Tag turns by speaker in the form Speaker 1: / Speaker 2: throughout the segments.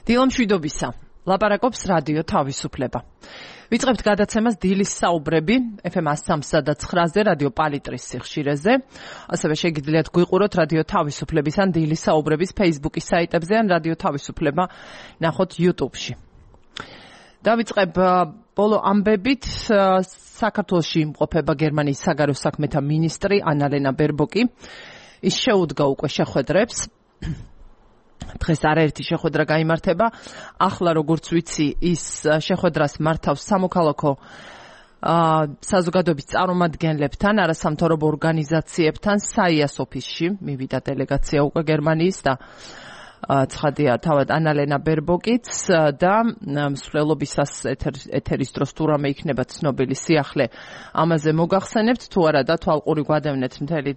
Speaker 1: დილამშვიდობისა. ლაპარაკობს რადიო თავისუფლება. ვიწყებთ გადაცემას დილის საუბრები FM 103.9-ზე რადიო პალიტრის სიხშირეზე. ასევე შეგიძლიათ გვიყუროთ რადიო თავისუფლების ან დილის საუბრების Facebook-ის საიტებზე ან რადიო თავისუფლება ნახოთ YouTube-ში. დავიწყებ ბოლო ამბებით. საქართველოში იმყოფება გერმანიის საგარეო საქმეთა მინისტრი ანალენა ბერბოკი. ის შეუდგა უკვე შეხვედრებს. დღეს არაერთი შეხვედრა გაიმართება. ახლა როგორც ვიცი, ის შეხვედრას მართავს სამოქალაქო საზოგადოების წარმომადგენლებთან, არასამთავრობო ორგანიზაციებთან საიას ოფისში. მივიდა დელეგაცია უკვე გერმანიის და ცხადია თავად ანალენა ბერბოკიც და მსვლელობისას ეთერის დროს თუ რამე იქნება ცნობილი სიახლე ამაზე მოგახსენებთ, თუ არა და თვალყური გვადევნეთ მთელი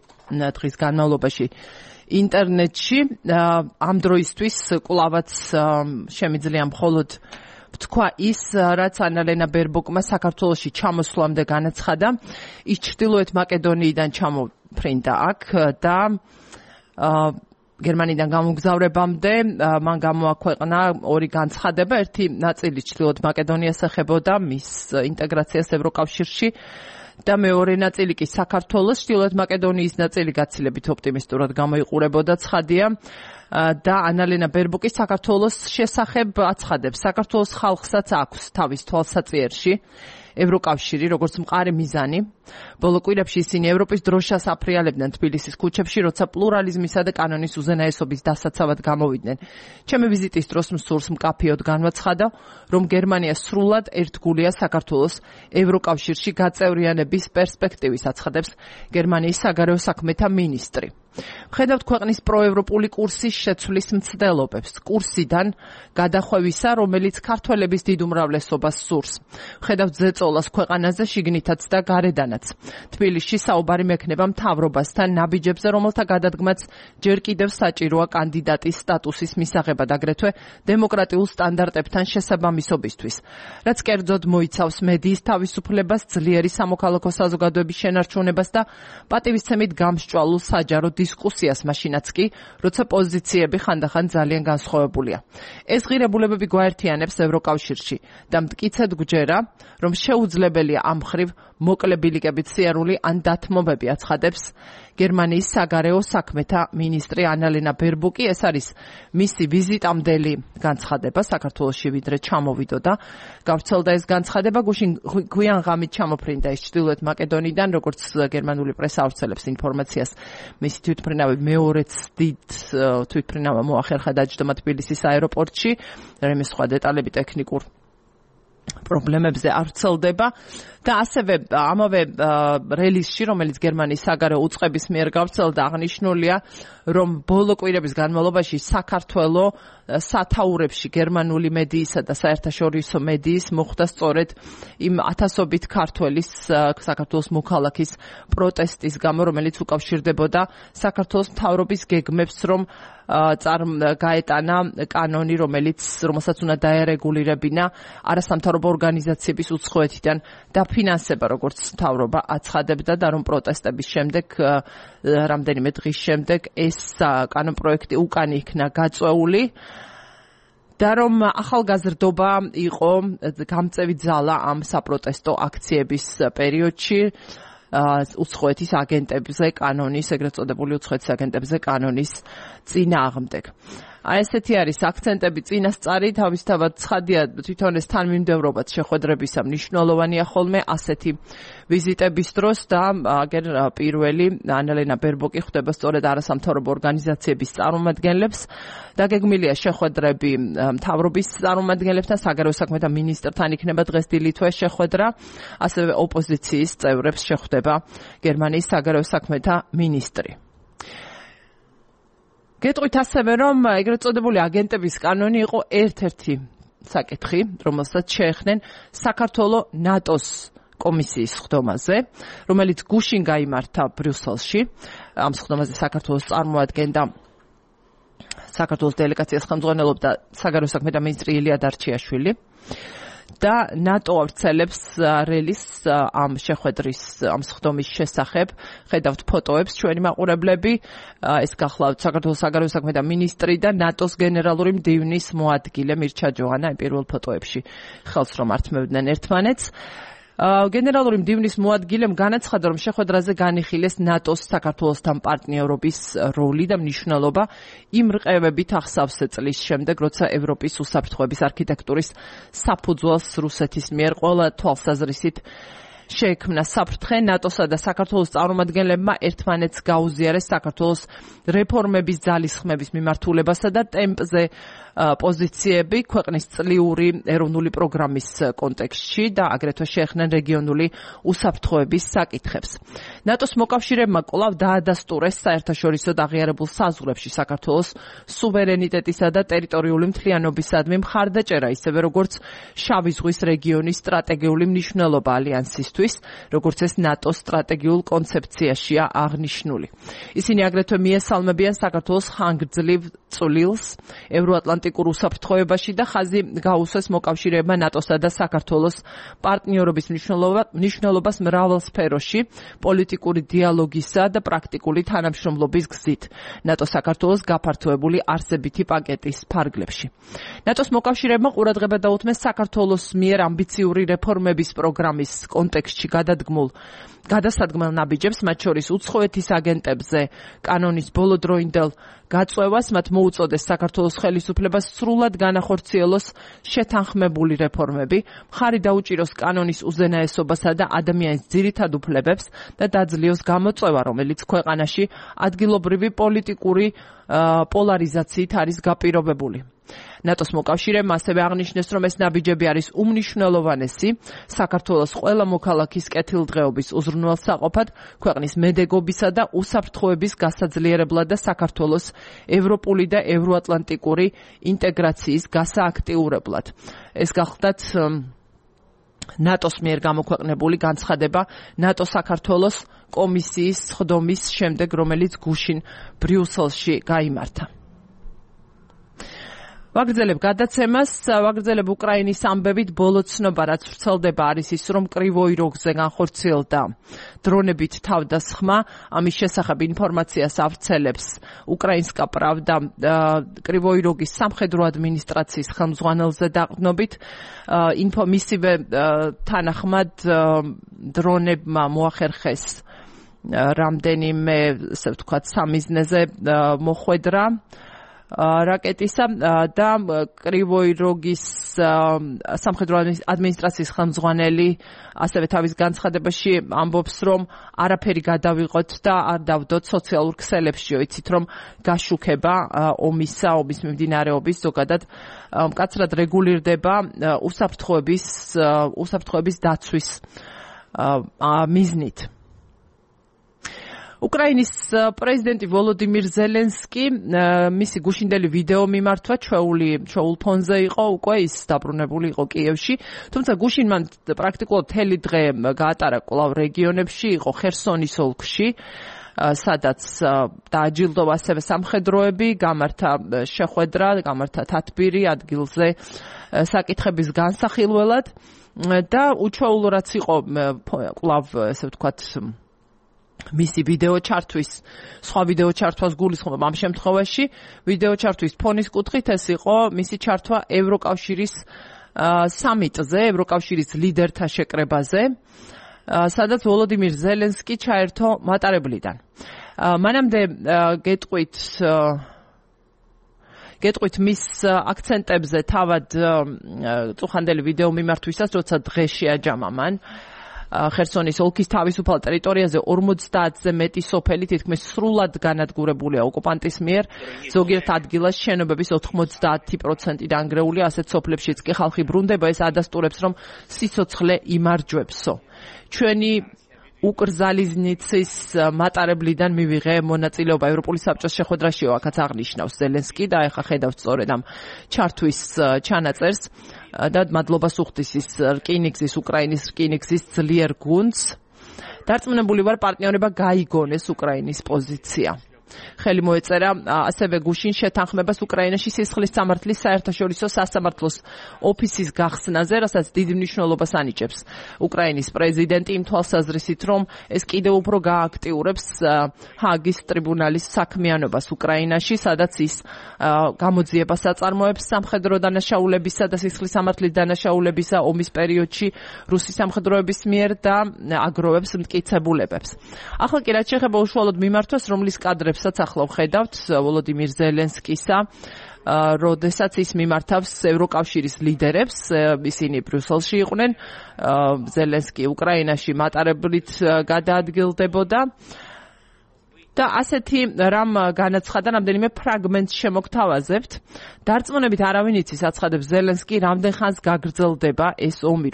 Speaker 1: დღის განმავლობაში ინტერნეტში. ამ დროისთვის კვლავაც შემიძლია მხოლოდ ვთქვა ის, რაც ანალენა ბერბოკმა საქართველოში ჩამოსვლამდე განაცხადა. ის ჩრდილოეთ მაკედონიიდან ჩამოფრინდა აქ და გერმანიდან გამოგზავრებამდე მან გამოაქვეყნა ორი განცხადება. ერთი ნაწილი ჩრდილოეთ მაკედონიას ეხებოდა მის ინტეგრაციას ევროკავშირში და მეორე ნაწილი კი საქართველოს. ჩრდილოეთ მაკედონიის ნაწილი გაცილებით ოპტიმისტურად გამოიყურებოდა, ცხადია. და ანალენა ბერბოკი საქართველოს შესახებ აცხადებს. საქართველოს ხალხსაც აქვს თავის თვალსაწიერში ევროკავშირი, როგორც მყარი მიზანი. ბოლო კვირებში ისინი ევროპის დროშას აფრიალებდნენ თბილისის ქუჩებში, როცა პლურალიზმისა და კანონის უზენაესობის დასაცავად გამოვიდნენ. ჩემი ვიზიტის დროს მსურს მკაფიოდ განვაცხადა, რომ გერმანია სრულად ერთგულია საქართველოს ევროკავშირში გაწევრიანების პერსპექტივის, აცხადებს გერმანიის საგარეო საქმეთა მინისტრი. ვხედავთ ქვეყნის პროევროპული კურსის შეცვლის მცდელობებს, კურსიდან გადახვევისა, რომელიც ქართველების დიდ უმრავლესობას სურს. ვხედავთ ზეწოლას ქვეყანაზე შიგნითაც და გარედანაც. თბილისში საუბარი მექნება მთავრობასთან ნაბიჯებზე, რომელთა გადადგმაც ჯერ კიდევ საჭიროა კანდიდატის სტატუსის მისაღებად, აგრეთვე დემოკრატიულ სტანდარტებთან შესაბამისობისთვის. რაც კერძოდ მოიცავს მედიის თავისუფლებას, ძლიერი სამოქალაქო საზოგადოების შენარჩუნებას და პატივისცემით გამსჭვალულ საჯარო დისკუსიას, მაშინაც კი, როცა პოზიციები ხანდახან ძალიან განსხვავებულია. ეს ღირებულებები გვაერთიანებს ევროკავშირში და მტკიცედ გვჯერა, რომ შეუძლებელია ამ მხრივ მოკლებილიკებით სიარული ან დათმობები, აცხადებს გერმანიის საგარეო საქმეთა მინისტრი ანალენა ბერბოკი. ეს არის მისი ვიზიტამდელი განცხადება საქართველოში, ვიდრე ჩამოვიდო და გავრცელდა ეს განცხადება. გვიან ღამით ჩამოფრინდა ის ჩრდილოეთ მაკედონიიდან, როგორც გერმანული პრესა ავრცელებს ინფორმაციას. მისი თვითმფრინავი მეორეც დიდ თვითმფრინავა მოახერხა დაჯდომა თბილისის აეროპორტში. რამე სხვა დეტალები ტექნიკურ პრობლემებზე არ ვრცელდება და ასევე ამავე რელიზში, რომელიც გერმანიის საგარეო უწყების მიერ გავრცელდა, აღნიშნულია, რომ ბოლო კვირების განმავლობაში საქართველო სათაურებში გერმანული მედიისა და საერთაშორისო მედიის მოხვდა სწორედ იმ ათასობით ქართველის საქართველოს მოქალაქის პროტესტის გამო, რომელიც უკავშირდებოდა საქართველოს მთავრობის გეგმებს, რომ გაეტანა კანონი, რომელსაც უნდა დაერეგულირებინა არასამთავრობო ორგანიზაციების უცხოეთიდან დაფინანსება, როგორც მთავრობა აცხადებდა და რომ პროტესტების შემდეგ, რამდენიმე დღის შემდეგ ეს კანონპროექტი უკან იქნა გაწეული და რომ ახალგაზრდობა იყო გამწევი ძალა ამ საპროტესტო აქციების პერიოდში უცხოეთის აგენტებზე კანონის, ეგრეთ წოდებული უცხოეთის აგენტებზე კანონის წინააღმდეგ. ესეთი არის აქცენტები წინასწარი, თავისთავად ცხადია თვითონ ეს თანმიმდევრობაც შეხვედრებისა მნიშვნელოვანია ხოლმე ასეთი ვიზიტების დროს და აგერ პირველი ანალენა ბერბოკი ხვდება სწორედ არასამთავრობო ორგანიზაციების წარმომადგენლებს. დაგეგმილია შეხვედრები მთავრობის წარმომადგენლებთან, საგარეო საქმეთა მინისტრთან იქნება დღეს დილითვე შეხვედრა, ასევე ოპოზიციის წევრებს შეხვდება გერმანიის საგარეო საქმეთა მინისტრი. გეტყვით ასევე, რომ ეგრეთ წოდებული აგენტების კანონი იყო ერთ-ერთი საკითხი, რომელსაც შეეხდნენ საქართველოს ნატოს კომისიის სხდომაზე, რომელიც გუშინ გაიმართა ბრიუსელში. ამ სხდომაზე საქართველოს წარმოადგენდა საქართველოს დელეგაციას ხელმძღვანელობდა საგარეო საქმეთა მინისტრი ილია დარჩიაშვილი. და ნატო ავრცელებს რელის ამ შეხვედრის ამ სხდომის შესახებ. ხედავთ ფოტოებს ჩვენი მაყურებლები, ეს გახლავთ საქართველოს საგარეო საქმეთა მინისტრი და ნატოს გენერალური მდივნის მოადგილე მირჩა ჯოანა იმ პირველ ფოტოებში ხელს რომ ართმევდნენ ერთმანეთს. გენერალური მდივნის მოადგილემ განაცხადა, რომ შეხვედრაზე განიხილეს ნატოს საქართველოსთან პარტნიორობის როლი და მნიშვნელობა იმ რყევებით ახსავსე წლის შემდეგ, როცა ევროპის უსაფრთხოების არქიტექტურის საფუძველს რუსეთის მიერ ყველა თვალსაზრისით შეექმნა საფრთხე. ნატოსა და საქართველოს წარმომადგენლებმა ერთმანეთს გაუზიარეს საქართველოს რეფორმების ძალისხმების მიმართულებასა და ტემპზე პოზიციები ქვეყნის წლიური ეროვნული პროგრამის კონტექსტში და აგრეთვე შეეხნენ რეგიონული უსაფრთხოების საკითხებს. ნატოს მოკავშირეებმა კვლავ დაადასტურეს საერთაშორისო აღიარებულ საზღვრებში საქართველოს სუვერენიტეტისა და ტერიტორიული მთლიანობისადმი მხარდაჭერა, ისევე როგორც შავი ზღვის რეგიონის სტრატეგიული მნიშვნელობა ალიანსისთვის, როგორც ეს ნატოს სტრატეგიულ კონცეფციაშია აღნიშნული. ისინი აგრეთვე მიესალმებიან საქართველოს ხანგრძლივ წვლილს ევროატლანტიკურ უსაფრთხოებაში და ხაზი გაუსვეს მოკავშირეებმა ნატოსა და საქართველოს პარტნიორობის მნიშვნელობას მრავალ სფეროში, პოლიტიკური დიალოგისა და პრაქტიკული თანამშრომლობის გზით ნატო-საქართველოს გაფართოებული არსებითი პაკეტის ფარგლებში. ნატოს მოკავშირეებმა ყურადღება დაუთმეს საქართველოს მიერ ამბიციური რეფორმების პროგრამის კონტექსტში გადასადგმელ ნაბიჯებს, მათ შორის უცხოეთის აგენტებზე კანონის ბოლოდროინდელ გაწევას, მათ მოუწოდეს საქართველოს ხელისუფლებას სრულად განახორციელოს შეთანხმებული რეფორმები, მხარი დაუჭიროს კანონის უზენაესობასა და ადამიანის ძირითად უფლებებს და დაძლიოს გამოწვევა, რომელიც ქვეყანაში ადგილობრივი პოლიტიკური პოლარიზაციით არის გაპირობებული. ნატოს მოკავშირეებმა ასევე აღნიშნეს, რომ ეს ნაბიჯები არის უმნიშვნელოვანესი საქართველოს ყველა მოქალაქის კეთილდღეობის უზრუნველსაყოფად, ქვეყნის მედეგობისა და უსაფრთხოების გასაძლიერებლად და საქართველოს ევროპული და ევროატლანტიკური ინტეგრაციის გასააქტიურებლად. ეს გახლდათ ნატოს მიერ გამოქვეყნებული განცხადება ნატო-საქართველოს კომისიის სხდომის შემდეგ, რომელიც გუშინ ბრიუსელში გაიმართა. ვაგრძელებ გადაცემას, ვაგრძელებ უკრაინის ამბებით ბოლო ცნობა, რაც ვრცელდება არის ის, რომ კრივოი როგზე განხორციელდა დრონებით თავდასხმა. ამის შესახებ ინფორმაციას ავრცელებს უკრაინსკა პრავდა კრივოი როგის სამხედრო ადმინისტრაციის ხელმძღვანელზე დაყრდნობით. მისივე თანახმად დრონებმა მოახერხეს რამდენიმე, ასე ვთქვათ, სამიზნეზე მოხვედრა რაკეტისა და კრივოი როგის სამხედრო ადმინისტრაციის ხელმძღვანელი ასევე თავის განცხადებაში ამბობს, რომ არაფერი გადავიღოთ და არ დავდოთ სოციალურ ქსელებშიო. იცით, რომ გაშუქება ომის მიმდინარეობის ზოგადად მკაცრად რეგულირდება უსაფრთხოების დაცვის მიზნით. უკრაინის პრეზიდენტი ვოლოდიმირ ზელენსკი მისი გუშინდელი ვიდეო მიმართვა ჩვეულ ფონზე იყო, უკვე ის დაბრუნებული იყო კიევში, თუმცა გუშინ მან პრაქტიკულად მთელი დღე გაატარა კვლავ რეგიონებში, იყო ხერსონის ოლქში, სადაც დააჯილდოვა ასევე სამხედროები, გამართა შეხვედრა, გამართა თათბირი ადგილზე საკითხების განსახილველად და უჩვეულოდ იყო კვლავ, ესე ვთქვათ, მისი ვიდეო ჩართვის, სხვა ვიდეო ჩართვას გულისხმობ ამ შემთხვევაში, ვიდეო ჩართვის ფონის კუთხით ეს იყო მისი ჩართვა ევროკავშირის სამიტზე, ევროკავშირის ლიდერთა შეკრებაზე, სადაც ვოლოდიმირ ზელენსკი ჩაერთო მატარებლიდან. მანამდე გეტყვით მის აქცენტებზე თავად წუხანდელი ვიდეო მიმართვისას, როცა დღეს შეაჯამა მან ხერსონის ოლქის თავისუფალ ტერიტორიაზე 50-ზე მეტი სოფელი თითქმის სრულად განადგურებულია ოკუპანტის მიერ, ზოგიერთ ადგილას შენობების 90% დანგრეულია, ასეთ სოფლებშიც კი ხალხი ბრუნდება, ეს ადასტურებს, რომ სიცოცხლე იმარჯვებსო. ჩვენი უკრზალიზნიცის მატარებლიდან მივიღე მონაწილეობა ევროპული საბჭოს შეხვედრაში, აქაც აღნიშნავს ზელენსკი და ეხა ხედავთ სწორედ ამ ჩართვის ჩანაწერს და მადლობას უხდის ის უკრაინის რკინიგზის ძლიერ გუნდს. დარწმუნებული ვარ, პარტნიორება გაიგონეს უკრაინის პოზიცია. ხელი მოეწერა ასევე გუშინ შეთანხმებას უკრაინაში სისხლის სამართლის საერთაშორისო სასამართლოს ოფისის გახსნაზე, რასაც დიდი მნიშვნელობას ანიჭებს უკრაინის პრეზიდენტი იმ თვალსაზრისით, რომ ეს კიდევ უფრო გააქტიურებს ჰააგის ტრიბუნალის საქმიანობას უკრაინაში, სადაც ის გამოძიებას აწარმოებს სამხედრო დანაშაულებისა და სისხლის სამართლის დანაშაულებისა ომის პერიოდში რუსის სამხედროების მიერ და აგროვებს მტკიცებულებებს. ახლა კი რაც შეეხება უშუალოდ მიმართვას, რომლის კადრებსაც ახლა ვხედავთ ვოლოდიმირ ზელენსკისა, როდესაც ის მიმართავს ევროკავშირის ლიდერებს, ისინი ბრიუსელში იყვნენ, ზელენსკი უკრაინაში მატარებლით გადაადგილდებოდა. და ასეთი რამ განაცხადა, რამდენიმე ფრაგმენტს შემოგთავაზებთ. დარწმუნებით არავინ იცის, აცხადებს ზელენსკი, რამდენ ხანს გაგრძელდება ეს ომი,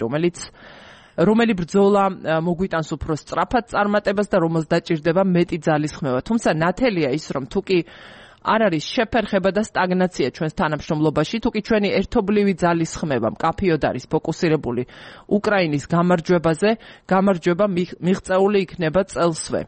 Speaker 1: რომელი ბრძოლა მოგვიტანს უფრო სწრაფად წარმატებას და რომელს დაჭირდება მეტი ძალისხმევა. თუმცა ნათელია ის, რომ თუკი არ არის შეფერხება და სტაგნაცია ჩვენს თანამშრომლობაში, თუკი ჩვენი ერთობლივი ძალისხმევა მკაფიოდ არის ფოკუსირებული უკრაინის გამარჯვებაზე, გამარჯვება მიღწეული იქნება წელსვე.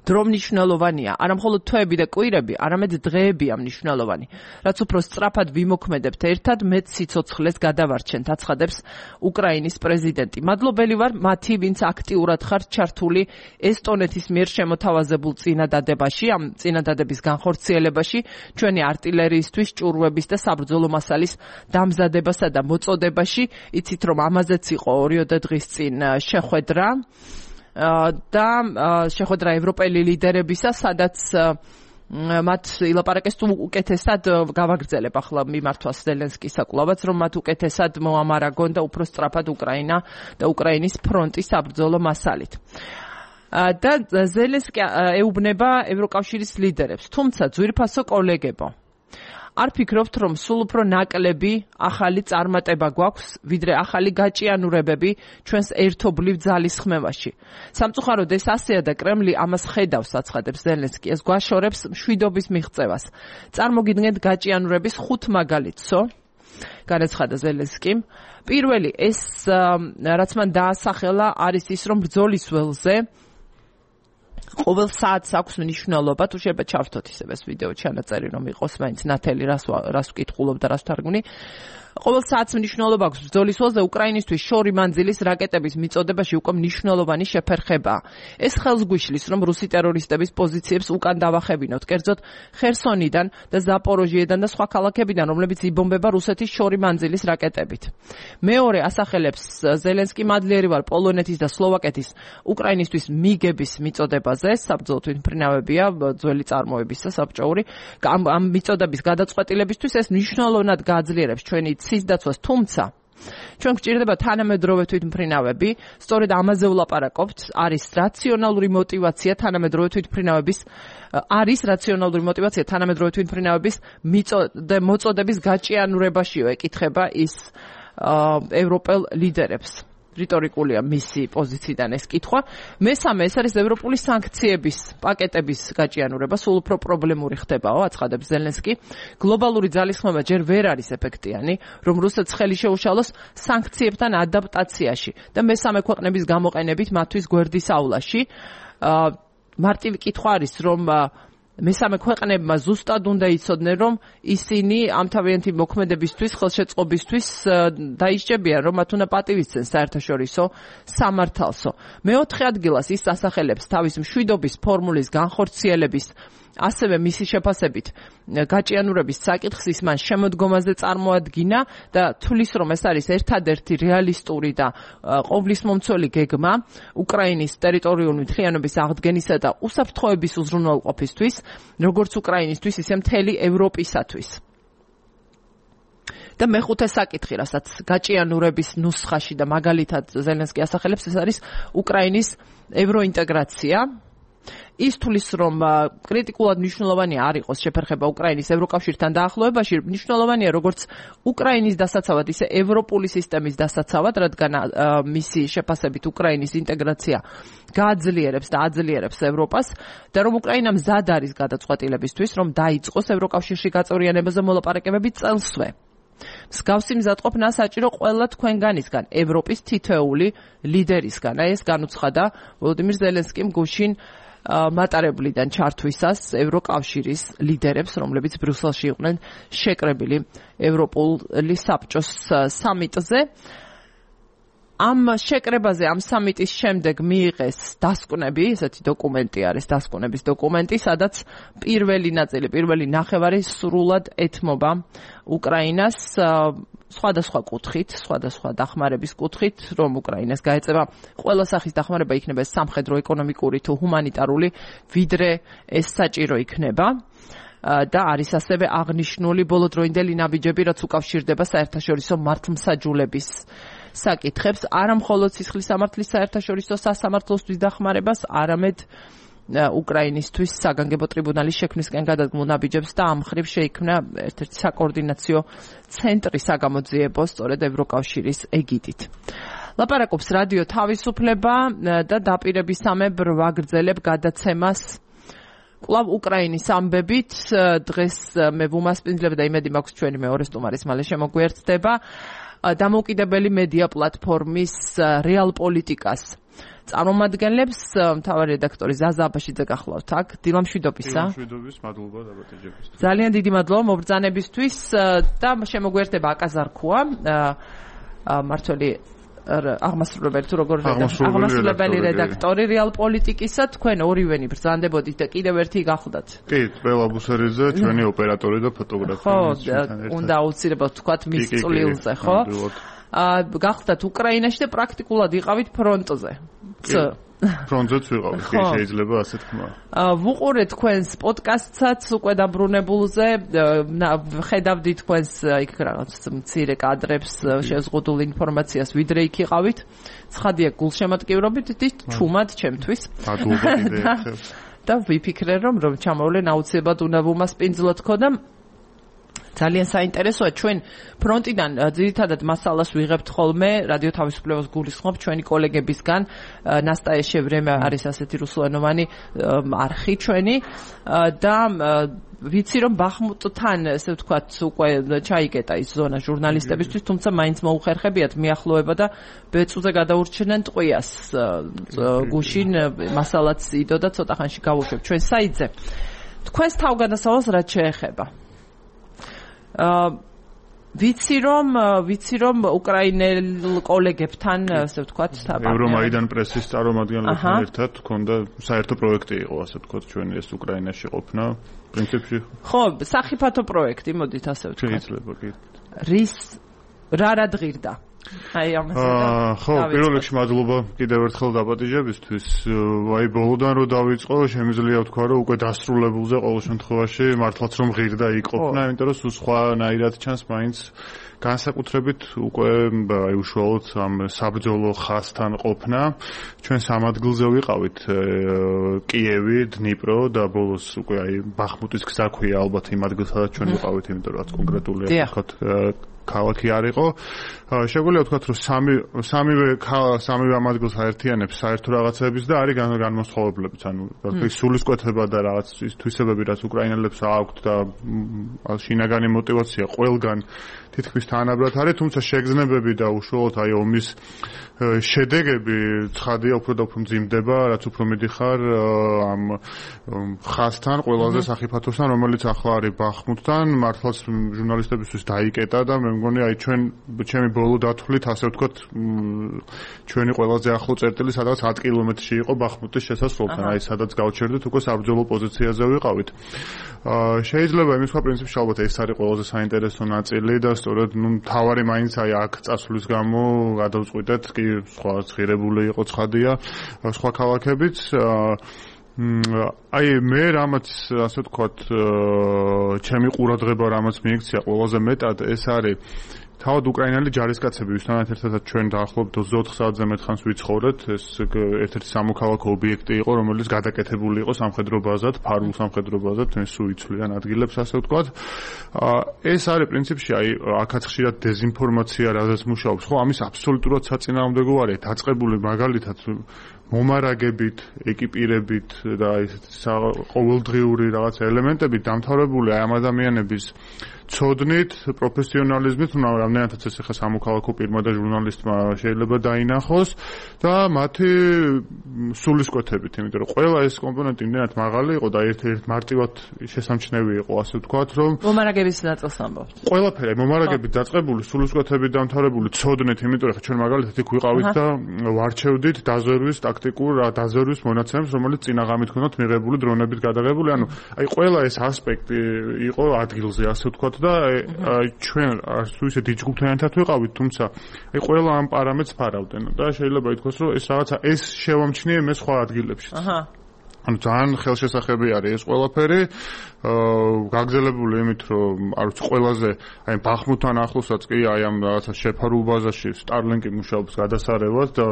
Speaker 1: დრო მნიშვნელოვანია, არა მხოლოდ თვეები და კვირები, არამედ დღეებია მნიშვნელოვანი. რაც უფრო სწრაფად ვიმოქმედებთ ერთად, მეტ სიცოცხლეს გადავარჩენთ, აცხადებს უკრაინის პრეზიდენტი. მადლობელი ვარ მათი, ვინც აქტიურად ხართ ჩართული ესტონეთის მიერ შემოთავაზებულ წინადადებაში, ამ წინადადების განხორციელებაში, ჩვენი არტილერიისთვის, ჭურვების და საბრძოლო მასალის დამზადებასა და მოწოდებაში. იცით, რომ ამაზეც იყო 2 დღის წინ შეხვედრა. და შეხვედრა ევროპელი ლიდერებისა, სადაც მათ ილაპარაკეს თუ უკეთესად გავაგრძელებ ახლა მიმართვას ზელენსკის საკვლავაც, რომ მათ უკეთესად მოამარაგონ და უფრო სწრაფად უკრაინა და უკრაინის ფრონტის საბრძოლო მასალით. და ზელენსკი ეუბნება ევროკავშირის ლიდერებს, თუმცა ძვირფასო კოლეგებო, არ ფიქრობთ, რომ სულ უფრო ნაკლები ახალი წარმატება გვაქვს, ვიდრე ახალი გაჭიანურებები ჩვენს ერთობლივ ძალისხმევაში. სამწუხაროდ ეს ასეა და კრემლი ამას ხედავს, აცხადებს ზელენსკი, ეს გვაშორებს მშვიდობის მიღწევას. წარმოგიდგენთ გაჭიანურების 5 მაგალითსო, განაცხადა ზელენსკიმ. პირველი, ეს რაც მან დაასახელა, არის ის, რომ ბრძოლის ველზე ყოველ საათს აქვს მნიშვნელობა, თუ შეიძლება ჩავთოთ ისევ ეს ვიდეო ჩანაწერი, რომ იყოს მაინც ნათელი, რას ვკითხულობ და რას თარგმნი. ყოველ საათს მნიშვნელობა აქვს ბრძოლის ველზე უკრაინისთვის შორი მანძილის რაკეტების მიწოდებაში უკვე მნიშვნელოვანი შეფერხებაა. ეს ხელს გვიშლის, რომ რუსი ტერორისტების პოზიციებს უკან დავახებინოთ, კერძოდ ხერსონიდან და ზაპოროჟიედან და სხვა ქალაქებიდან, რომლებიც იბომბება რუსეთის შორი მანძილის რაკეტებით. მეორე, ასახელებს ზელენსკი, მადლიერი ვარ პოლონეთის და სლოვაკეთის უკრაინისთვის მიგების მიწოდებაზე, საბრძოლო თვითმფრინავებია, ძველი წარმოებისა საბჭოური. ამ მიწოდების გადაწყვეტილებისთვის ეს მნიშვნელოვნად გააძლიერებს ჩვენი ცის დაცვას, თუმცა ჩვენ გვჭირდება თანამედროვე თვითმფრინავები, სწორედ ამაზე ვლაპარაკობთ, არის რაციონალური მოტივაცია თანამედროვე თვითმფრინავების მოწოდების გაჭიანურებაშიო, ეკითხება ის ევროპელ ლიდერებს. რიტორიკულია მისი პოზიციიდან ეს კითხვა. მესამე, ეს არის ევროპული სანქციების პაკეტების გაჭიანურება, სულ უფრო პრობლემური ხდებაო, აცხადებს ზელენსკი. გლობალური ძალისხმევა ჯერ ვერ არის ეფექტიანი, რომ რუსეთს ხელი შეუშალოს სანქციებთან ადაპტაციაში და მესამე ქვეყნების გამოყენებით მათთვის გვერდის ავლაში. მარტივი კითხვა არის, რომ მესამე ქვეყნებმა ზუსტად უნდა იცოდნენ, რომ ისინი ამ თავიანთი მოქმედებისთვის, ხელშეწყობისთვის დაისჭებიან, რომ მათ უნდა პატივისცენ საერთაშორისო სამართალსო. მეოთხე ადგილას ის ასახელებს თავის მშვიდობის ფორმულის განხორციელების, ასევე მისი შეფასებით გაჭიანურების საკითხს, ის მან შემოდგომაზე წარმოადგინა და თulis, რომ ეს არის ერთადერთი რეალისტური და ყოვლისმომცველი გეგმა უკრაინის ტერიტორიული მთლიანობის აღდგენისა და უსაფრთხოების უზრუნველყოფისთვის, როგორც უკრაინისთვის, ისე მთელი ევროპისათვის. და მეხუთე საკითხი, რასაც გაჭიანურების ნუსხაში და მაგალითად ზელენსკი ასახელებს, ეს არის უკრაინის ევროინტეგრაცია. ის თulis, რომ კრიტიკულად მნიშვნელოვანი არ იყოს შეფერხება უკრაინის ევროკავშირთან დაახლოებაში, მნიშვნელოვანია როგორც უკრაინის დასაცავად, ისე ევროპული სისტემის დასაცავად, რადგან მისი შეფასებით უკრაინის ინტეგრაცია გააძლიერებს და აძლიერებს ევროპას და რომ უკრაინა მზად არის გადაწყვეტილებისთვის, რომ დაიწყოს ევროკავშირში გაწევრიანებაზე მოლაპარაკებები წელსვე. მსგავსი მზადყოფნა საჭირო ყველა თქვენგანისგან, ევროპის თითოეული ლიდერისგან. ეს განუცხადა ვოლოდიმირ ზელენსკიმ გუშინ მატარებლიდან ჩართვისას ევროკავშირის ლიდერებს, რომლებიც ბრიუსელში იყვნენ შეკრებილი ევროპული საბჭოს სამიტზე. ამ შეკრებაზე, ამ სამიტის შემდეგ მიიღეს დასკვნები, ესეთი დოკუმენტი არის, დასკვნების დოკუმენტი, სადაც პირველი ნახევარი სრულად ეთმობა უკრაინას სხვადასხვა კუთხით, სხვადასხვა დახმარების კუთხით, რომ უკრაინას გაეწევა ყველა სახის დახმარება იქნება სამხედრო, ეკონომიკური თუ ჰუმანიტარული, ვიდრე ეს საჭირო იქნება. და არის ასევე აღნიშნული ბოლოდროინდელი ნაბიჯები, რაც უკავშირდება საერთაშორისო მართლმსაჯულების საკითხებს, არა მხოლოდ სისხლის სამართლის საერთაშორისო სასამართლოსთვის დახმარებას, არამედ უკრაინისთვის საგანგებო ტრიბუნალის შექმნისკენ გადადგმულ ნაბიჯებს და ამ მხრივ შეიქმნა ერთ-ერთი საკოორდინაციო ცენტრი საგამოძიებო სწორედ ევროკავშირის ეგიდით. ლაპარაკობს რადიო თავისუფლება და დაპირებისამებრ ვაგრძელებ გადაცემას კვლავ უკრაინის ამბებით. დღეს მე ვუმასპინძლებ და იმედი მაქვს ჩვენი მეორე სტუმარის მალე შემოგვიერთდება დამოუკიდებელი მედია პლატფორმის რეალ პოლიტიკას წარმომადგენლებს მთავარი რედაქტორი ზაზა აბაშიძე გახლავთ აქ. დილამშვიდობისა.
Speaker 2: დილამშვიდობის, მადლობა დაბადებისთვის.
Speaker 1: ძალიან დიდი მადლობა მობრძანებისთვის და შემოგვიერთდება აკაზარქუა მართველი აღმასრულებელი თუ როგორ აღმასრულებელი რედაქტორი რეალ პოლიტიკისა. თქვენ ორივენი ბრძანდებოდით და კიდევ ერთი გახლდათ.
Speaker 2: კი, ყველა აბუსერიძე, ჩვენი ოპერატორი და ფოტოგრაფი.
Speaker 1: ხო, უნდა აუცილებლად თქვათ მის წვლილზე, ხო? გახლდათ უკრაინაში და პრაქტიკულად იყავით ფრონტზე.
Speaker 2: ფრონტზეც ვიყავით, შეიძლება ასე თქვა.
Speaker 1: ვუყურეთ თქვენს პოდკასტსაც უკვე დაბრუნებულზე, ხედავდი თქვენს იქ რაღაც მცირე კადრებს, შეზღუდულ ინფორმაციას, ვიდრე იქ იყავით. ცხადია გულშემატკივრობით ჩუმად ჩემთვის. და ვიფიქრე რომ ჩამოვლენ აუცილებლად უნდა ვუმასპინძლოთ ხო და ძალიან საინტერესოა ჩვენ ფრონტიდან ძირითადად მასალას ვიღებთ ხოლმე რადიო თავისუფლებას გულისხმობ ჩვენი კოლეგებისგან ნასტა ეშევრემა არის ასეთი რუსულენოვანი არხი ჩვენი და ვიცი რომ ბახმუტთან ესე ვთქვათ უკვე ჩაიკეტა ის ზონა ჟურნალისტებისთვის თუმცა მაინც მოუხერხებიათ მიახლოება და ბეწუზე გადაურჩნენ ტყვიას გუშინ მასალაც იდო და ცოტა ხანში გავუშვებ ჩვენ საიტზე თქვენს თავგადასავალს რაც შეეხება ვიცი რომ უკრაინელ კოლეგებთან ასე ვთქვათ
Speaker 2: ევრომაიდან პრესის წარმომადგენლებთან ერთად ჰქონდა საერთო პროექტი იყო ასე ვთქვათ ჩვენი ეს უკრაინაში ყოფნა პრინციპში
Speaker 1: ხო სახიფათო პროექტი მოდით ასე ვთქვათ
Speaker 2: შეიძლება კი
Speaker 1: რის რა ღირდა აი ამაზე
Speaker 2: ხო პირველ რიგში მადლობა კიდევ ერთხელ დაპატიჟებისთვის აი ბოლოდან რო დავიწყო შემიძლია ვთქვა რომ უკვე დასრულებულზე ყოველ შემთხვევაში მართლაც რომ ღირდა იყოფნა იმიტომ რომ სულ სხვანაირად ჩანს მაინც განსაკუთრებით უკვე აი უშუალოდ ამ საბრძოლო ხაზთან ყოფნა ჩვენ სამ ადგილზე ვიყავით კიევი, დნიპრო და ბოლოს უკვე აი ბახმუტის გზა ქვია ალბათ იმ ადგილსადაც ჩვენ ვიყავით იმიტომ რომ კონკრეტული ვთქვათ ქალაქი არ იყო. შეგვიძლია ვთქვათ, რომ სამივე ამ ადგილს აერთიანებს საერთო რაღაცების და არის განმოსხოვებლებიც, ანუ სულისკვეთება და რაღაც ის თვისებები, რაც უკრაინელებს აქვთ და შინაგანი мотиваცია ყველგან თითქმის თანაბრად არის, თუმცა შეგრძნებები და უშუალოდ აი ომის შედეგები ცხადია უფრო და უფრო მძიმდება, რაც უფრო მიდიხარ ამ ხაზთან, ყველაზე სახიფათოსთან, რომელიც ახლა არის ბახმუტთან, მართლაც ჟურნალისტებისთვის დაიკეტა და მე მგონი აი ჩემი ბოლო დათვლით ასე ვთქვათ ჩვენი ყველაზე ახლო წერტილი სადაც 10 კილომეტრში იყო ბახმუტის შესასვლელთან, აი სადაც გავჩერდით უკვე საბრძოლო პოზიციაზე ვიყავით. შეიძლება იმის სხვა პრინციპში ალბათ ეს არის ყველაზე საინტერესო ნაწილი და სწორედ მთავარი მაინც აი აქ წასვლის გამო გადავწყვიტეთ კი სხვა ღირებული იყო ცხადია სხვა ქალაქებიც აი მე რამაც ასე ვთქვათ ჩემი ყურადღება რამაც მიიქცია ყველაზე მეტად ეს არის თავად უკრაინელი ჯარისკაცები ვისთანაც ერთადაც ჩვენ დაახლოებით 24 საათზე მეტ ხანს ვიცხოვრეთ ეს ერთ-ერთი სამოქალაქო ობიექტი იყო რომელიც გადაკეთებული იყო სამხედრო ბაზად ფარულ სამხედრო ბაზად სულ იცვლიან ადგილებს ასე ვთქვათ ეს არის პრინციპში აი აქაც ხშირად დეზინფორმაცია რაზეც მუშაობს ხო ამის აბსოლუტურად საწინააღმდეგო არის დაწყებული მაგალითად მომარაგებით, ეკიპირებით და ესეთი ყოველდღიური რაღაც ელემენტებით დამთავრებული აი ამ ადამიანების ცოდნით, პროფესიონალიზმით, რამდენადაც ეს ხა სამოქალაქო პირმა და ჟურნალისტმა შეიძლება დაინახოს და მათი სულისკვეთებით, იმიტომ რომ ყველა ეს კომპონენტი იმდენად მაღალი იყო და ერთ-ერთ მარტივად შესამჩნევი იყო, ასე ვთქვათ, რომ
Speaker 1: მომარაგების ნაწილს ამბობთ.
Speaker 2: ყველაფერი მომარაგებით დაწყებული, სულისკვეთებით დამთავრებული ცოდნით, იმიტომ რომ ჩვენ მაგალითად იქ ვიყავით და ვარჩევდით დაზვერვის ტაქტიკურ დაზვერვის მონაცემებს, რომელიც წინაღამით ქონდათ მიღებული დრონებით გადაღებული, ანუ აი ყველა ეს ასპექტი იყო ადგილზე, ასე ვთქვათ და ჩვენ თუ ისე ჯგუფთან ერთად ვიყავით, თუმცა აი ყველა ამ პარამეტრს ფარავდნენ და შეიძლება ითქვას, რომ ეს რაღაცა ეს შევამჩნიე მე სხვა ადგილებშიც. ანუ ძალიან ხელშესახები არის ეს ყველაფერი, გაგზელებული იმით, რომ არ ვიცი ყველაზე აი ბახმუთთან ახლოსაც კი აი ამ რაღაცა შეფარულ ბაზაში Starlink-ი მუშაობს გადასარევად და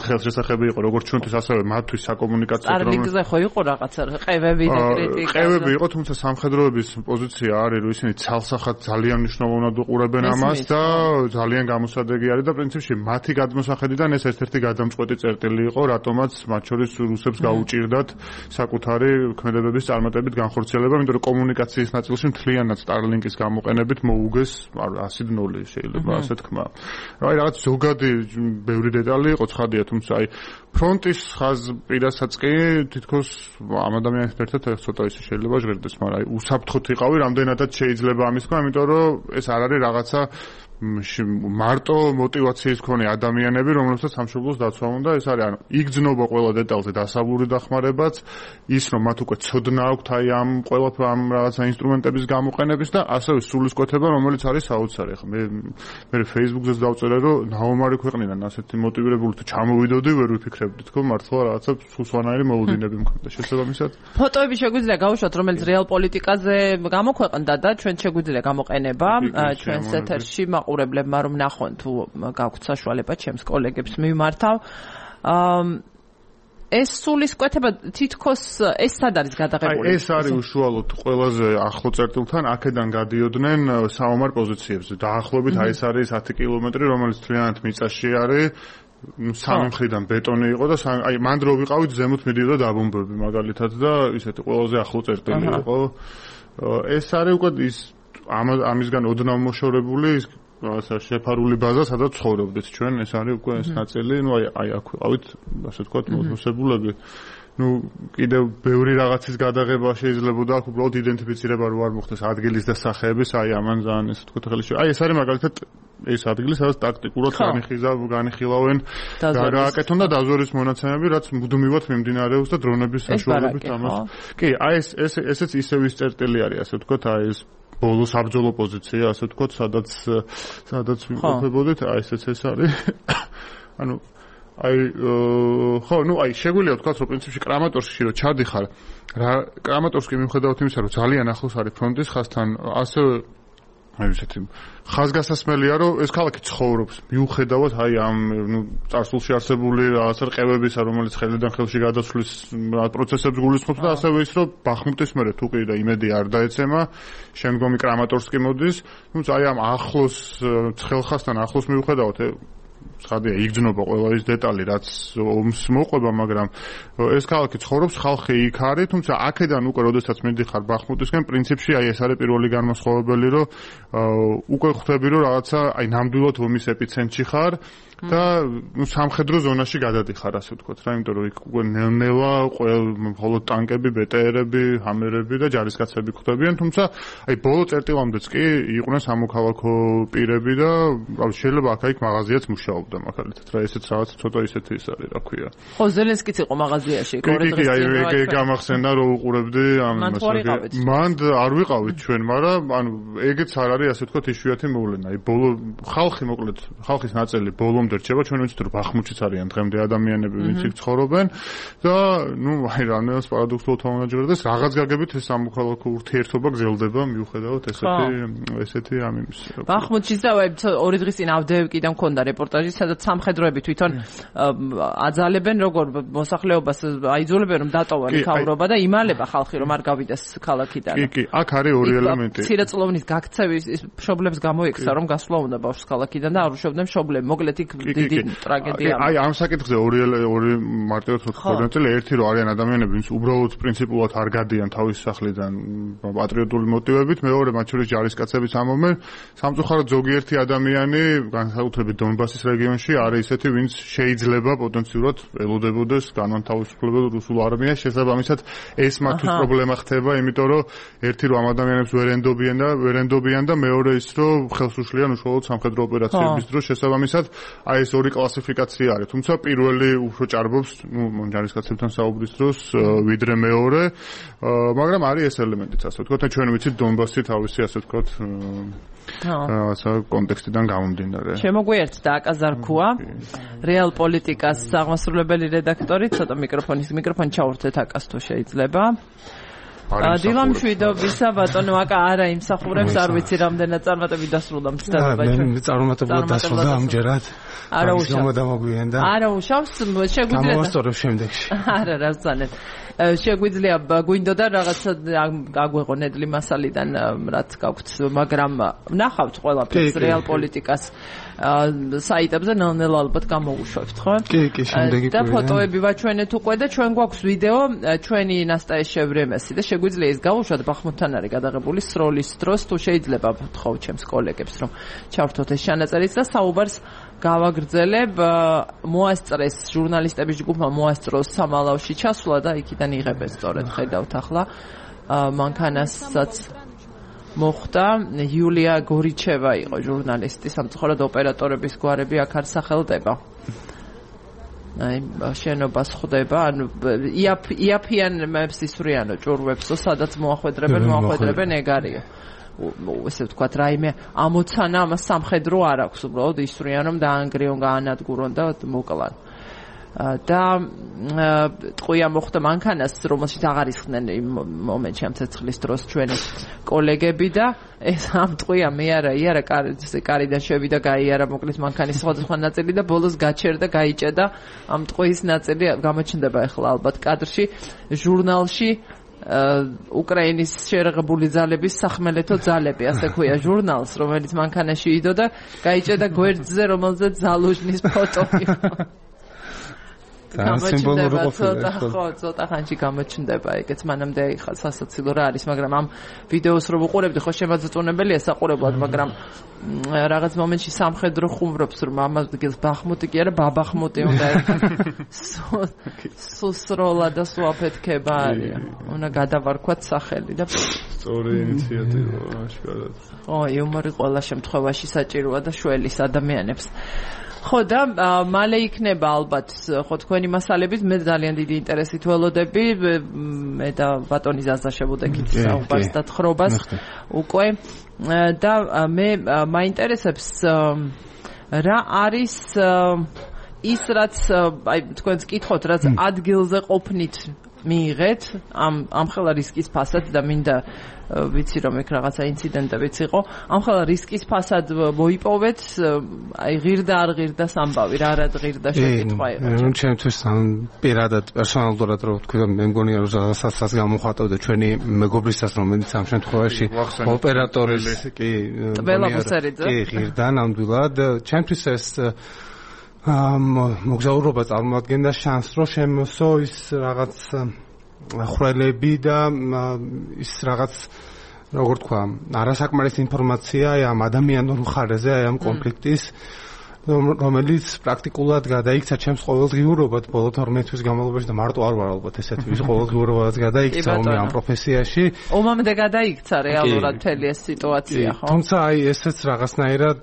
Speaker 2: ხელშესახები იყო როგორც ჩვენთვის ასევე მათთვის საკომუნიკაციო
Speaker 1: Starlink-ზე ხო იყო რაღაცა ყევები და კრიტიკა.
Speaker 2: ყევები იყო, თუმცა სამხედროების პოზიცია არის, რომ ისინი ცალსახად ძალიან მნიშვნელოვნად უყურებენ ამას და ძალიან გამოსადეგი არის და პრინციპში მათი გადმოსახედიდან ეს ერთ-ერთი გადამწყვეტი წერტილი იყო, რატომაც მათ შორის რუსებს გაუჭირდათ საკუთარი ქმედებების წარმატებით განხორციელება, იმიტომ რომ კომუნიკაციის ნაწილში მთლიანად Starlink-ის გამოყენებით მოუგეს 100-0 შეიძლება ასე თქვა. აი რაღაც ზოგადი ბევრი დეტალი იყო ცხადია, თუმცა აი ფრონტის ხაზპირასაც კი თითქოს ამ ადამიანთან ერთად ცოტა ისე შეიძლება ჟღერდეს, მაგრამ აი უსაფრთხოდ იყავი, რამდენადაც შეიძლება ამის თქმა, იმიტომ რომ ეს არ არის რაღაცა მარტო мотиваციის მქონე ადამიანები, რომლებსაც სამშობლოს დაცვა უნდა, ეს არის ანუ იგრძნობა ყველა დეტალზე დასავლური დახმარებაც, ის რომ მათ უკვე ცოდნა აქვთ აი ამ ყველაფერ ამ რაღაცა ინსტრუმენტების გამოყენების და ასევე სულისკვეთება, რომელიც არის საოცარი. ხა მე Facebook-ზეც დავწერე, რომ ნაომარი ქვეყნიდან ასეთი мотивირებული თუ ჩამოვიდოდი, ვერ ვიფიქრებდი თქო მართლა რაღაცა სულსვანაირი მოუდინები მქონდა შესაბამისად.
Speaker 1: ფოტოები შეგვიძლია გავუშვათ, რომელიც რეალ პოლიტიკაზე გამოქვეყნდა და ჩვენ შეგვიძლია გამოყენება ჩვენს ეთერში ყურებლებმა რომ ნახონ თუ გაქვთ საშუალება ჩემს კოლეგებს მიმართავ. ეს სულისკვეთება თითქოს ეს სად არის გადაღებული?
Speaker 2: ეს არის უშუალოდ ყველაზე ახლო წერტილთან, აქედან გადიოდნენ საომარ პოზიციებზე. დაახლოებით აი ეს არის 10 კილომეტრი, რომელიც თლიანად მიწაში არის. სამი მხრიდან ბეტონი იყო და აი მანდ რო ვიყავით ზემოთ მიდიოდა დაბომბები მაგალითად და ისეთი ყველაზე ახლო წერტილი იყო. ეს არის უკვე ის ამისგან ოდნავ მოშორებული რაღაცა შეფარული ბაზა, სადაც ცხოვრობდით ჩვენ, ეს არის უკვე ეს ნაწილი, ну აი აქ ვიყავით, ასე ვთქვათ, მოსებულები. ну კიდევ ბევრი რაღაცის გადაღება შეიძლება აქ უბრალოდ იდენტიფიცირება რო არ მოხდეს ადგილის და სახეების, აი ამან ძალიან ესე ვთქვათ ხელი აი ეს არის მაგალითად ეს ადგილი, სადაც ტაქტიკურად განიხილავენ და გააკეთონ და დაზვერვის მონაცემები, რაც მუდმივად მიმდინარეობს და დრონების საშუალებით ამას. კი, აი ესეც ისევ ის წერტილი არის, ასე ვთქვათ, აი ეს ბოლო საბრძოლო პოზიცია, ასე ვთქვათ, სადაც ვიმყოფებოდით, აი ესეც ეს არის. ანუ აი ხო, ну აი შეგვიძლია ვთქვათ, რომ პრინციპში კრამატორსკში რო ჩადიხარ, რა კრამატორსკი მიუხედავად იმისა, რომ ძალიან ახლოს არის ფრონტის ხაზთან, ასევე აი ესეთი ხაზგასასმელია, რომ ეს ქალაქი ცხოვრობს, მიუხედავად აი ამ წარსულში არსებული რაღაცა ყევებისა, რომელიც ხელიდან ხელში გადასვლის პროცესებს გულისხმობს და ასევე ის, რომ ბახმუტის მერე თუ კი და იმედი არ დაეცემა, შემდგომი კრამატორსკი მოდის, თუმცა აი ამ ახლოს ცხელხასთან ახლოს მიუხედავად ცხადია იგრძნობა ყველა ის დეტალი, რაც ომს მოყვება, მაგრამ ეს ქალაქი ცხოვრობს, ხალხი იქ არის, თუმცა აქედან უკვე როდესაც მიდიხარ ბახმუტისკენ, პრინციპში აი ეს არის პირველი განმასხვავებელი, რომ უკვე ხვდები, რომ რაღაცა აი ნამდვილად ომის ეპიცენტრში ხარ და სამხედრო ზონაში გადადიხარ, ასე ვთქვათ რა, იმიტომ რომ იქ უკვე ნელ-ნელა მხოლოდ ტანკები, ბეტერები, ჰამერები და ჯარისკაცები ხვდებიან, თუმცა აი ბოლო წერტილამდეც კი იყვნენ სამოქალაქო პირები და შეიძლება აქ-იქ მაღაზიაც მუშაობდა მაგალითად რა, ესეც რაღაც ცოტა ისეთი ის არის, რა ქვია.
Speaker 1: ხო, ზელენსკიც იყო მაღაზიაში,
Speaker 2: კი, აი გამახსენდა რომ უყურებდი ამ მანდ არ ვიყავით ჩვენ, მაგრამ ანუ ეგეც არ არის, ასე ვთქვათ, იშვიათი მოვლენა. აი ბოლო ხალხი მოკლედ, ხალხის ნაწილი ბოლომდე რჩება, ჩვენ ვიცით რომ ბახმუთშიც არიან დღემდე ადამიანები, ვინც იქ ცხოვრობენ და ну აი რამევას პარადოქსულად თამამაჯერდეს, რაღაც გაგებით ეს სამოქალაქო ურთიერთობა გრძელდება მიუხედავად ესეთი ამ იმის.
Speaker 1: ბახმუთშიც და ორი დღის წინ ავდეევკიდან მქონდა რეპორტაჟი რეპორტაჟი, სადაც სამხედროები თვითონ აძალებენ როგორ მოსახლეობას აიძულებენ რომ დატოვონ მთავრობა და იმალება ხალხი რომ არ გავიდეს ქალაქიდან.
Speaker 2: კი, აქ არის ორი ელემენტი.
Speaker 1: მცირეწლოვნის გაქცევის მშობლებს გამოიქცა რომ გასვლა უნდა ბავშვს ქალაქიდან და არ უშობდნენ მშობლები. მოკლედ იქ დიდი ტრაგედია.
Speaker 2: აი ამ საკითხზე ორი მარტივად ვთქვი, ერთი რომ არიან ადამიანები, ვინც უბრალოდ პრინციპულად არ გადიან თავის სახლიდან პატრიოტული მოტივებით, მეორე მათ შორის ჯარისკაცებიც ამობენ. სამწუხაროდ ზოგიერთი ადამიანი, განსაკუთრებით დონბასის რეგიონში, არის ისეთი, ვინც შეიძლება პოტენციურად ელოდებოდეს განმათავისუფლებელ რუსულ არმიას, შესაბამისად ეს მათთვის პრობლემა ხდება, იმიტომ რომ ერთი რომ ამ ადამიანებს ვერ ენდობიან და მეორე ის რომ ხელს უშლიან უშუალოდ სამხედრო ოპერაციების დროს, შესაბამისად აი ეს ორი კლასიფიკაცია არის. თუმცა პირველი უფრო ჭარბობს, ჯარისკაცებთან საუბრის დროს, ვიდრე მეორე, მაგრამ არის ეს ელემენტიც, ასე ვთქვათ, და ჩვენ ვიცით დონბასი თავისი, ასე ვთქვათ, რაღაცა კონტექსტიდან გამომდინარე.
Speaker 1: შემოგვიერთდა აკა ზარქუა, რეალ პოლიტიკას აღმასრულებელი რედაქტორი, ცოტა მიკროფონი ჩავურთეთ აკას თუ შეიძლება. დილამ შვიდობისა ბატონო აკა არა იმსახურებს არ ვიცი რამდენად წარმატები დასრულდა მცდელობა ჩვენ.
Speaker 3: მე წარმატებულად დასრულდა ამჯერად.
Speaker 1: არა უშავს შეგვიძლია
Speaker 3: გამოვასწორებ შემდეგში.
Speaker 1: არა რა ზანეთ. შეგვიძლია გვინდოდა რაღაცა გაგვეღო ნედლი მასალიდან რაც გაგვთ, მაგრამ ნახავთ ყველაფერს რეალ პოლიტიკას საიტებზე ნელ-ნელა ალბათ გამოუშვებთ, ხო?
Speaker 3: კი, შემდეგი
Speaker 1: და ფოტოები ვაჩვენეთ უკვე და ჩვენ გვაქვს ვიდეო ჩვენი ნასტაიშე ვრემესი და შეგვიძლია ის გავუშვათ ბახმუთთან არის გადაღებული სროლის დროს თუ შეიძლება ვთხოვ ჩემს კოლეგებს რომ ჩავრთოთ ეს ჩანაწერიც და საუბარს გავაგრძელებ მოასწრეს ჟურნალისტების ჯგუფმა მოასწროს სამალავში ჩასვლა და იქიდან იღებენ სწორედ ხედავთ ახლა მანქანასაც მოხდა იულია გორიჩევა იყო ჟურნალისტი სამწუხაროდ ოპერატორების გვარები აქ არ სახელდება აი შენობას ხვდება ანუ იაფიანებს ისვრიანო ჭურვებსო სადაც მოახვედრებენ ეგ არისო ესე ვთქვათ რაიმე ამოცანა ამას სამხედრო არ აქვს უბრალოდ ისვრიან რომ დაანგრიონ გაანადგურონ და მოკლან და ტყვია მოხდა მანქანას რომელშიც აღარ ისხდნენ იმ მომენტში ამ ცეცხლის დროს ჩვენი კოლეგები და ეს ამ ტყვია მე არა კარიდან შევიდა გაიარა მოკლის მანქანის სხვადასხვა ნაწილი და ბოლოს გაჩერდა გაიჭედა ამ ტყვის ნაწილი გამოჩნდება ახლა ალბათ კადრში ჟურნალში უკრაინის შერღებული ძალების სახმელეთო ძალები ასე ქვია ჟურნალს რომელიც მანქანაში იდო და გაიჭედა გვერდზე რომელზეც ზალუჟნის ფოტო იყო გამოჩნდება ცოტა ხანში გამოჩნდება ეგეც მანამდე სასაცილო რა არის მაგრამ ამ ვიდეოს რო ვუყურებდი ხო შემაძწუნებელია საყურებლად მაგრამ რაღაც მომენტში სამხედრო ხუმრობს რომ ამ ადგილს ბახმუტი კი არა ბაბახმუტი უნდა სუსროლა და სუაფეთქება არის უნდა გადავარქვათ სახელი და
Speaker 2: სწორი ინიციატივა აშკარად
Speaker 1: ხო იუმორი ყველა შემთხვევაში საჭიროა და შველის ადამიანებს ხო და მალე იქნება ალბათ ხო თქვენი მასალების მე ძალიან დიდი ინტერესით ველოდები მე და ბატონი ზაზა შევუდექით საუბარს და თხრობას უკვე და მე მაინტერესებს რა არის ის რაც აი თქვენს კითხოთ რაც ადგილზე ყოფნით მიიღეთ ამ ხელა რისკის ფასად და მინდა ვიცი რომ ეგ რაღაცა ინციდენტებიც იყო ამ ხელა რისკის ფასად მოიპოვეთ აი ღირდა არ ღირდა სამბავი რა ღირდა შეკითხვა იყო
Speaker 3: ჩემთვის პირადად პერსონალურად რო ვთქვი მე მგონია რომ რაღაცასაც გამოხატავდა ჩვენი მეგობრისას რომელიც ამ შემთხვევაში ოპერატორის კი ღირდა ნამდვილად ჩემთვის ეს მოგზაურობა წარმოადგენდა შანსს რომ შემოსო ის რაღაც ხრელები და ის რაღაც როგორ თქვა არასაკმარის ინფორმაცია აი ამ ადამიანურ მხარეზე აი ამ კონფლიქტის რომელიც პრაქტიკულად გადაიქცა ჩემს ყოველდღიურობად ბოლო 12 თვის განმავლობაში და მარტო არ ვარ ალბათ ესეთი ვის ყოველდღიურობადაც გადაიქცა ამ პროფესიაში
Speaker 1: ომამდე გადაიქცა რეალურად მთელი ეს სიტუაცია ხო
Speaker 3: თუმცა აი ესეც რაღაცნაირად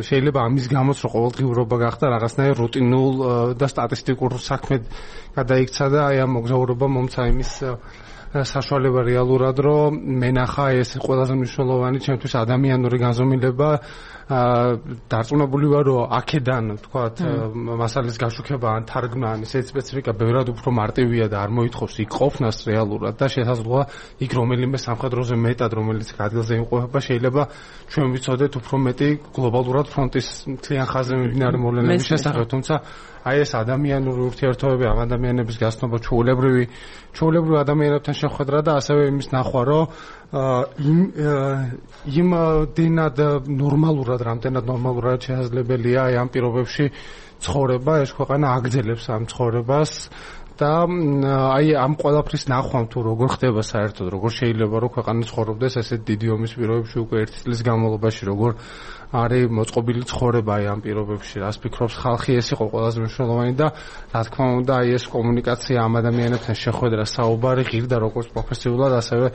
Speaker 3: შეიძლება ამის გამოც რომ ყოველდღიურობა გახდა რაღაცნაირ რუტინულ და სტატისტიკურ საქმედ გადაიქცა და აი ამ მოგზაურობა მომცა იმის საშუალება რეალურად რომ მენახა ეს ყველაზე მნიშვნელოვანი ჩემთვის ადამიანური განზომილება დარწმუნებული ვარ რომ აქედან თქვათ მასალის გაშუქება ან თარგმნა ან ისეთი სპეციფიკა ბევრად უფრო მარტივია და არ მოითხოვს იქ ყოფნას რეალურად და შესაძლოა იქ რომელიმე სამხედროზე მეტად რომელიც ადგილზე იმყოფება შეიძლება ჩვენ ვიცოდეთ უფრო მეტი გლობალურად ფრონტის მთლიან ხაზზე მიმდინარე მოვლენების შესახებ თუმცა აი ეს ადამიანური ურთიერთობები ამ ადამიანების გასწრება ჩვეულებრივ ადამიანებთან შეხვედრა და ასევე იმის ნახვა რომ იმდენად ნორმალურად შესაძლებელია აი ამ პირობებში ცხოვრება ეს ქვეყანა აგრძელებს ამ ცხოვრებას და აი ამ ყველაფრის ნახვამ თუ როგორ ხდება საერთოდ როგორ შეიძლება რომ ქვეყანა ცხოვრობდეს ესეთ დიდი ომის პირობებში უკვე 1 წლის განმავლობაში როგორ არის მოწყობილი ცხოვრება აი ამ პირობებში რას ფიქრობს ხალხი ეს იყო ყველაზე მნიშვნელოვანი და რა თქმა უნდა აი ეს კომუნიკაცია ამ ადამიანებთან შეხვედრა საუბარი ღირდა როგორც პროფესიულად ასევე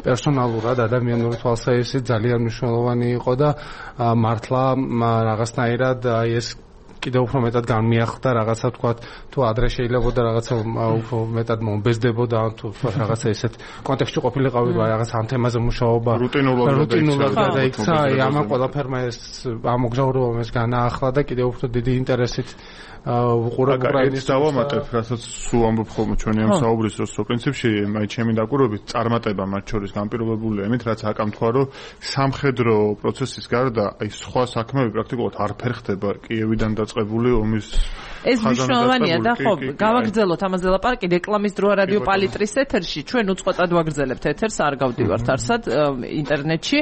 Speaker 3: პერსონალურად ადამიანური თვალსაზრისით ძალიან მნიშვნელოვანი იყო და მართლა რაღაცნაირად აი ეს კიდევ უფრო მეტად განმიახლდა რაღაცა თქვა თუ ადრე შეიძლებოდა რაღაცა უფრო მეტად მომბეზდებოდა თუ თქვა რაღაცა ესეთ კონტექსტში ყოფილიყავი რაღაც ამ თემაზე მუშაობა რუტინულად გადაიქცა ამ ყველაფერმა ეს ამ მოგზაურობამ ეს განაახლა და კიდევ უფრო დიდი ინტერესით უყურებ უკრაინის
Speaker 2: დავამატებ რასაც სულ ამბობ ხოლმე ჩვენი ამ საუბრის დროს პრინციპში აი ჩემი დაკვირვებით წარმატება მათ შორის განპირობებულია იმით რაც აკამთქვა რომ სამხედრო პროცესის გარდა აი სხვა საქმეები პრაქტიკულად არ ფერხდება კიევიდან დაწყებული ომის
Speaker 1: ეს მნიშვნელოვანია და ხო გავაგრძელოთ ამაზე ლაპარაკი რეკლამის დროა რადიო პალიტრის ეთერში ჩვენ უწყვეტად ვაგრძელებთ ეთერს არ გავდივართ არსად ინტერნეტში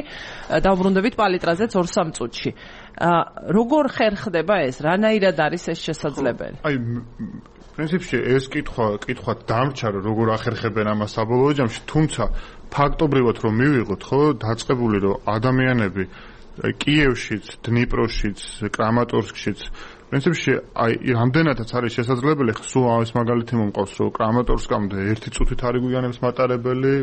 Speaker 1: დავბრუნდებით პალიტრაზე 2-3 წუთში როგორ ხერხდება ეს რანაირად არის ეს შესაძლებელი
Speaker 2: აი პრინციპში ეს კითხვა დამრჩა რომ როგორ ახერხებენ ამას საბოლოო ჯამში თუმცა ფაქტობრივად რომ მივიღოთ ხო დაწყებული რომ ადამიანები კიევშიც დნიპროშიც კრამატორსკშიც პრინციპში აი რამდენადაც არის შესაძლებელი სულ ამის მაგალითი მომყავს რომ კრამატორსკამდე 1 წუთით არის გვიანებს მატარებელი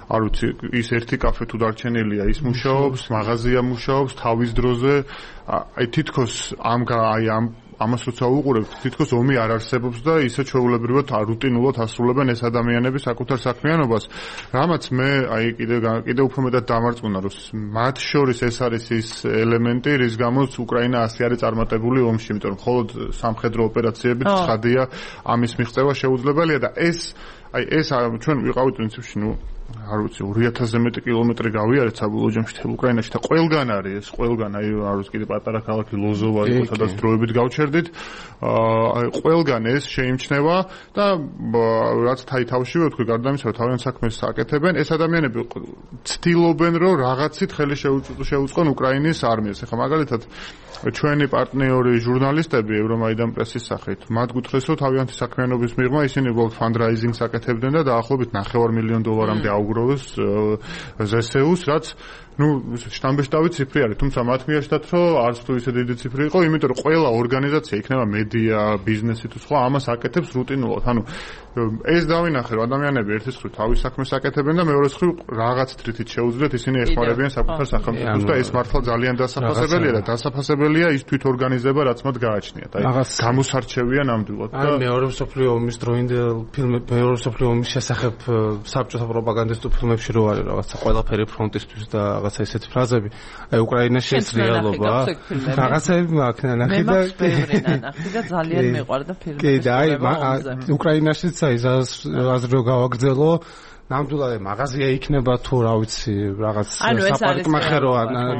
Speaker 2: არ ვიცი ის ერთი კაფე თუ დარჩენილია ის მუშაობს მაღაზია მუშაობს თავის დროზე აი თითქოს ამას როცა უყურებთ თითქოს ომი არ არსებობს და ისე ჩვეულებრივად რუტინულად ასრულებენ ეს ადამიანები საკუთარ საქმიანობას რამაც მე აი კიდე უფრო მეტად დამარწმუნა რომ მათ შორის ეს არის ის ელემენტი რის გამოც უკრაინა ასე არის წარმატებული ომში იმიტომ რომ მხოლოდ სამხედრო ოპერაციებით ცხადია ამის მიღწევა შეუძლებელია და ეს ჩვენ ვიყავით პრინციპში არ ვიცი 2000-ზე მეტი კილომეტრი გავიარეთ საბოლოო ჯამში თელ უკრაინაში და ყველგან არის ეს ყველგან აი არ ვიცი კიდე პატარა ქალაქი ლოზოვა იყო სადაც დროებით გავჩერდით აი ყველგან ეს შეიმჩნევა და რაც თავშივე ვთქვი გარდა ამისა რომ თავიანთ საქმეს აკეთებენ ეს ადამიანები ცდილობენ რომ რაღაცით ხელი შეუწყონ უკრაინის არმიას ეხლა მაგალითად ჩვენი პარტნიორი ჟურნალისტები ევრომაიდან პრესის სახით მათ გუთხრეს რომ თავიანთი საქმიანობის მიღმა ისინი უბრალოდ ფანდრაიზინგს აკეთებდნენ და დაახლოებით $9 მილიონამდე აუგროვეს ზსეუს რაც შტამბეშტავი ციფრი არის თუმცა მათ მიაჩნდათ რომ არც თუ ისე დიდი ციფრი იყო იმიტომ რომ ყველა ორგანიზაცია იქნება მედია ბიზნესი თუ სხვა ამას აკეთებს რუტინულად ანუ ეს დავინახე რომ ადამიანები ერთის მხრივ თავის საქმეს აკეთებენ და მეორეს მხრივ რაღაც თრითით შეუძლიათ ისინი ეხმარებიან საკუთარ სახელმწიფოს და ეს მართლა ძალიან დასაფასებელია და დასაფასებელია ის თვითორგანიზება რაც მათ გააჩნიათ აი გამოსარჩევია ნამდვილად და
Speaker 3: მეორე მსოფლიო ომის დროინდელ მეორე მსოფლიო ომის შესახებ საბჭოთა პროპაგანდისტულ ფილმებში რო არის რაღაცა ყველაფერი ფრონტისთვის და რაღაცა ესეთი ფრაზები აი უკრაინაში ეს რეალობა რაღაცები მაქვს ნახე
Speaker 1: და ძალიან მეყვარდა ფილმი
Speaker 3: კი და აი უკრაინაშიც აი აზრი გავაგრძელო ნამდვილად მაღაზია იქნება თუ რა ვიცი რაღაც საპარკმახერო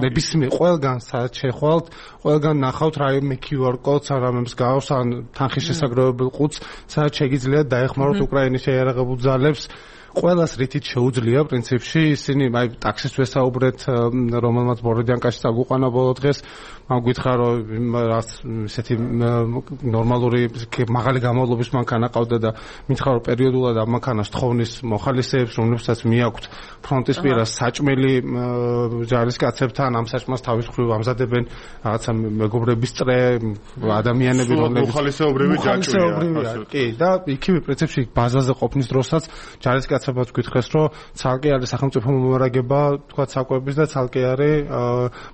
Speaker 3: ნებისმიერ ყველგან სადაც შეხვალთ ყველგან ნახავთ რაიმე QR კოდს ან რამემს გავს ან თანხის შესაგროვებელ ყუთს სადაც შეგიძლიათ დაეხმაროთ უკრაინის შეიარაღებულ ძალებს ყველას რითით შეუძლია პრინციპში ისინი აი ტაქსის ვესაუბრეთ რომელმაც ბოროდიანკაში წაგვიყვანა ბოლო დღეს მან გითხრა რომ ესეთი ნორმალური მაღალი გამავლობის მანქანა ყავდა და მითხრა რომ პერიოდულად ამ მანქანას თხოვნის მოხალისეებს რომლებსაც მიაქვთ ფრონტის პირას საჭმელი ჯარისკაცებთან ამ საჭმელს თავის მხრივ ამზადებენ რაღაცა მეგობრების წრე ადამიანები რომლებიც
Speaker 2: მოხალისეობრივი ჯაჭვია
Speaker 3: კი და იქივე პრინციპში ბაზაზე ყოფნის დროსაც ჯარისკაცები კაცებაც გითხრეს, რომ ცალკე არის სახელმწიფო მომარაგება, თქვა საკვების და ცალკე არის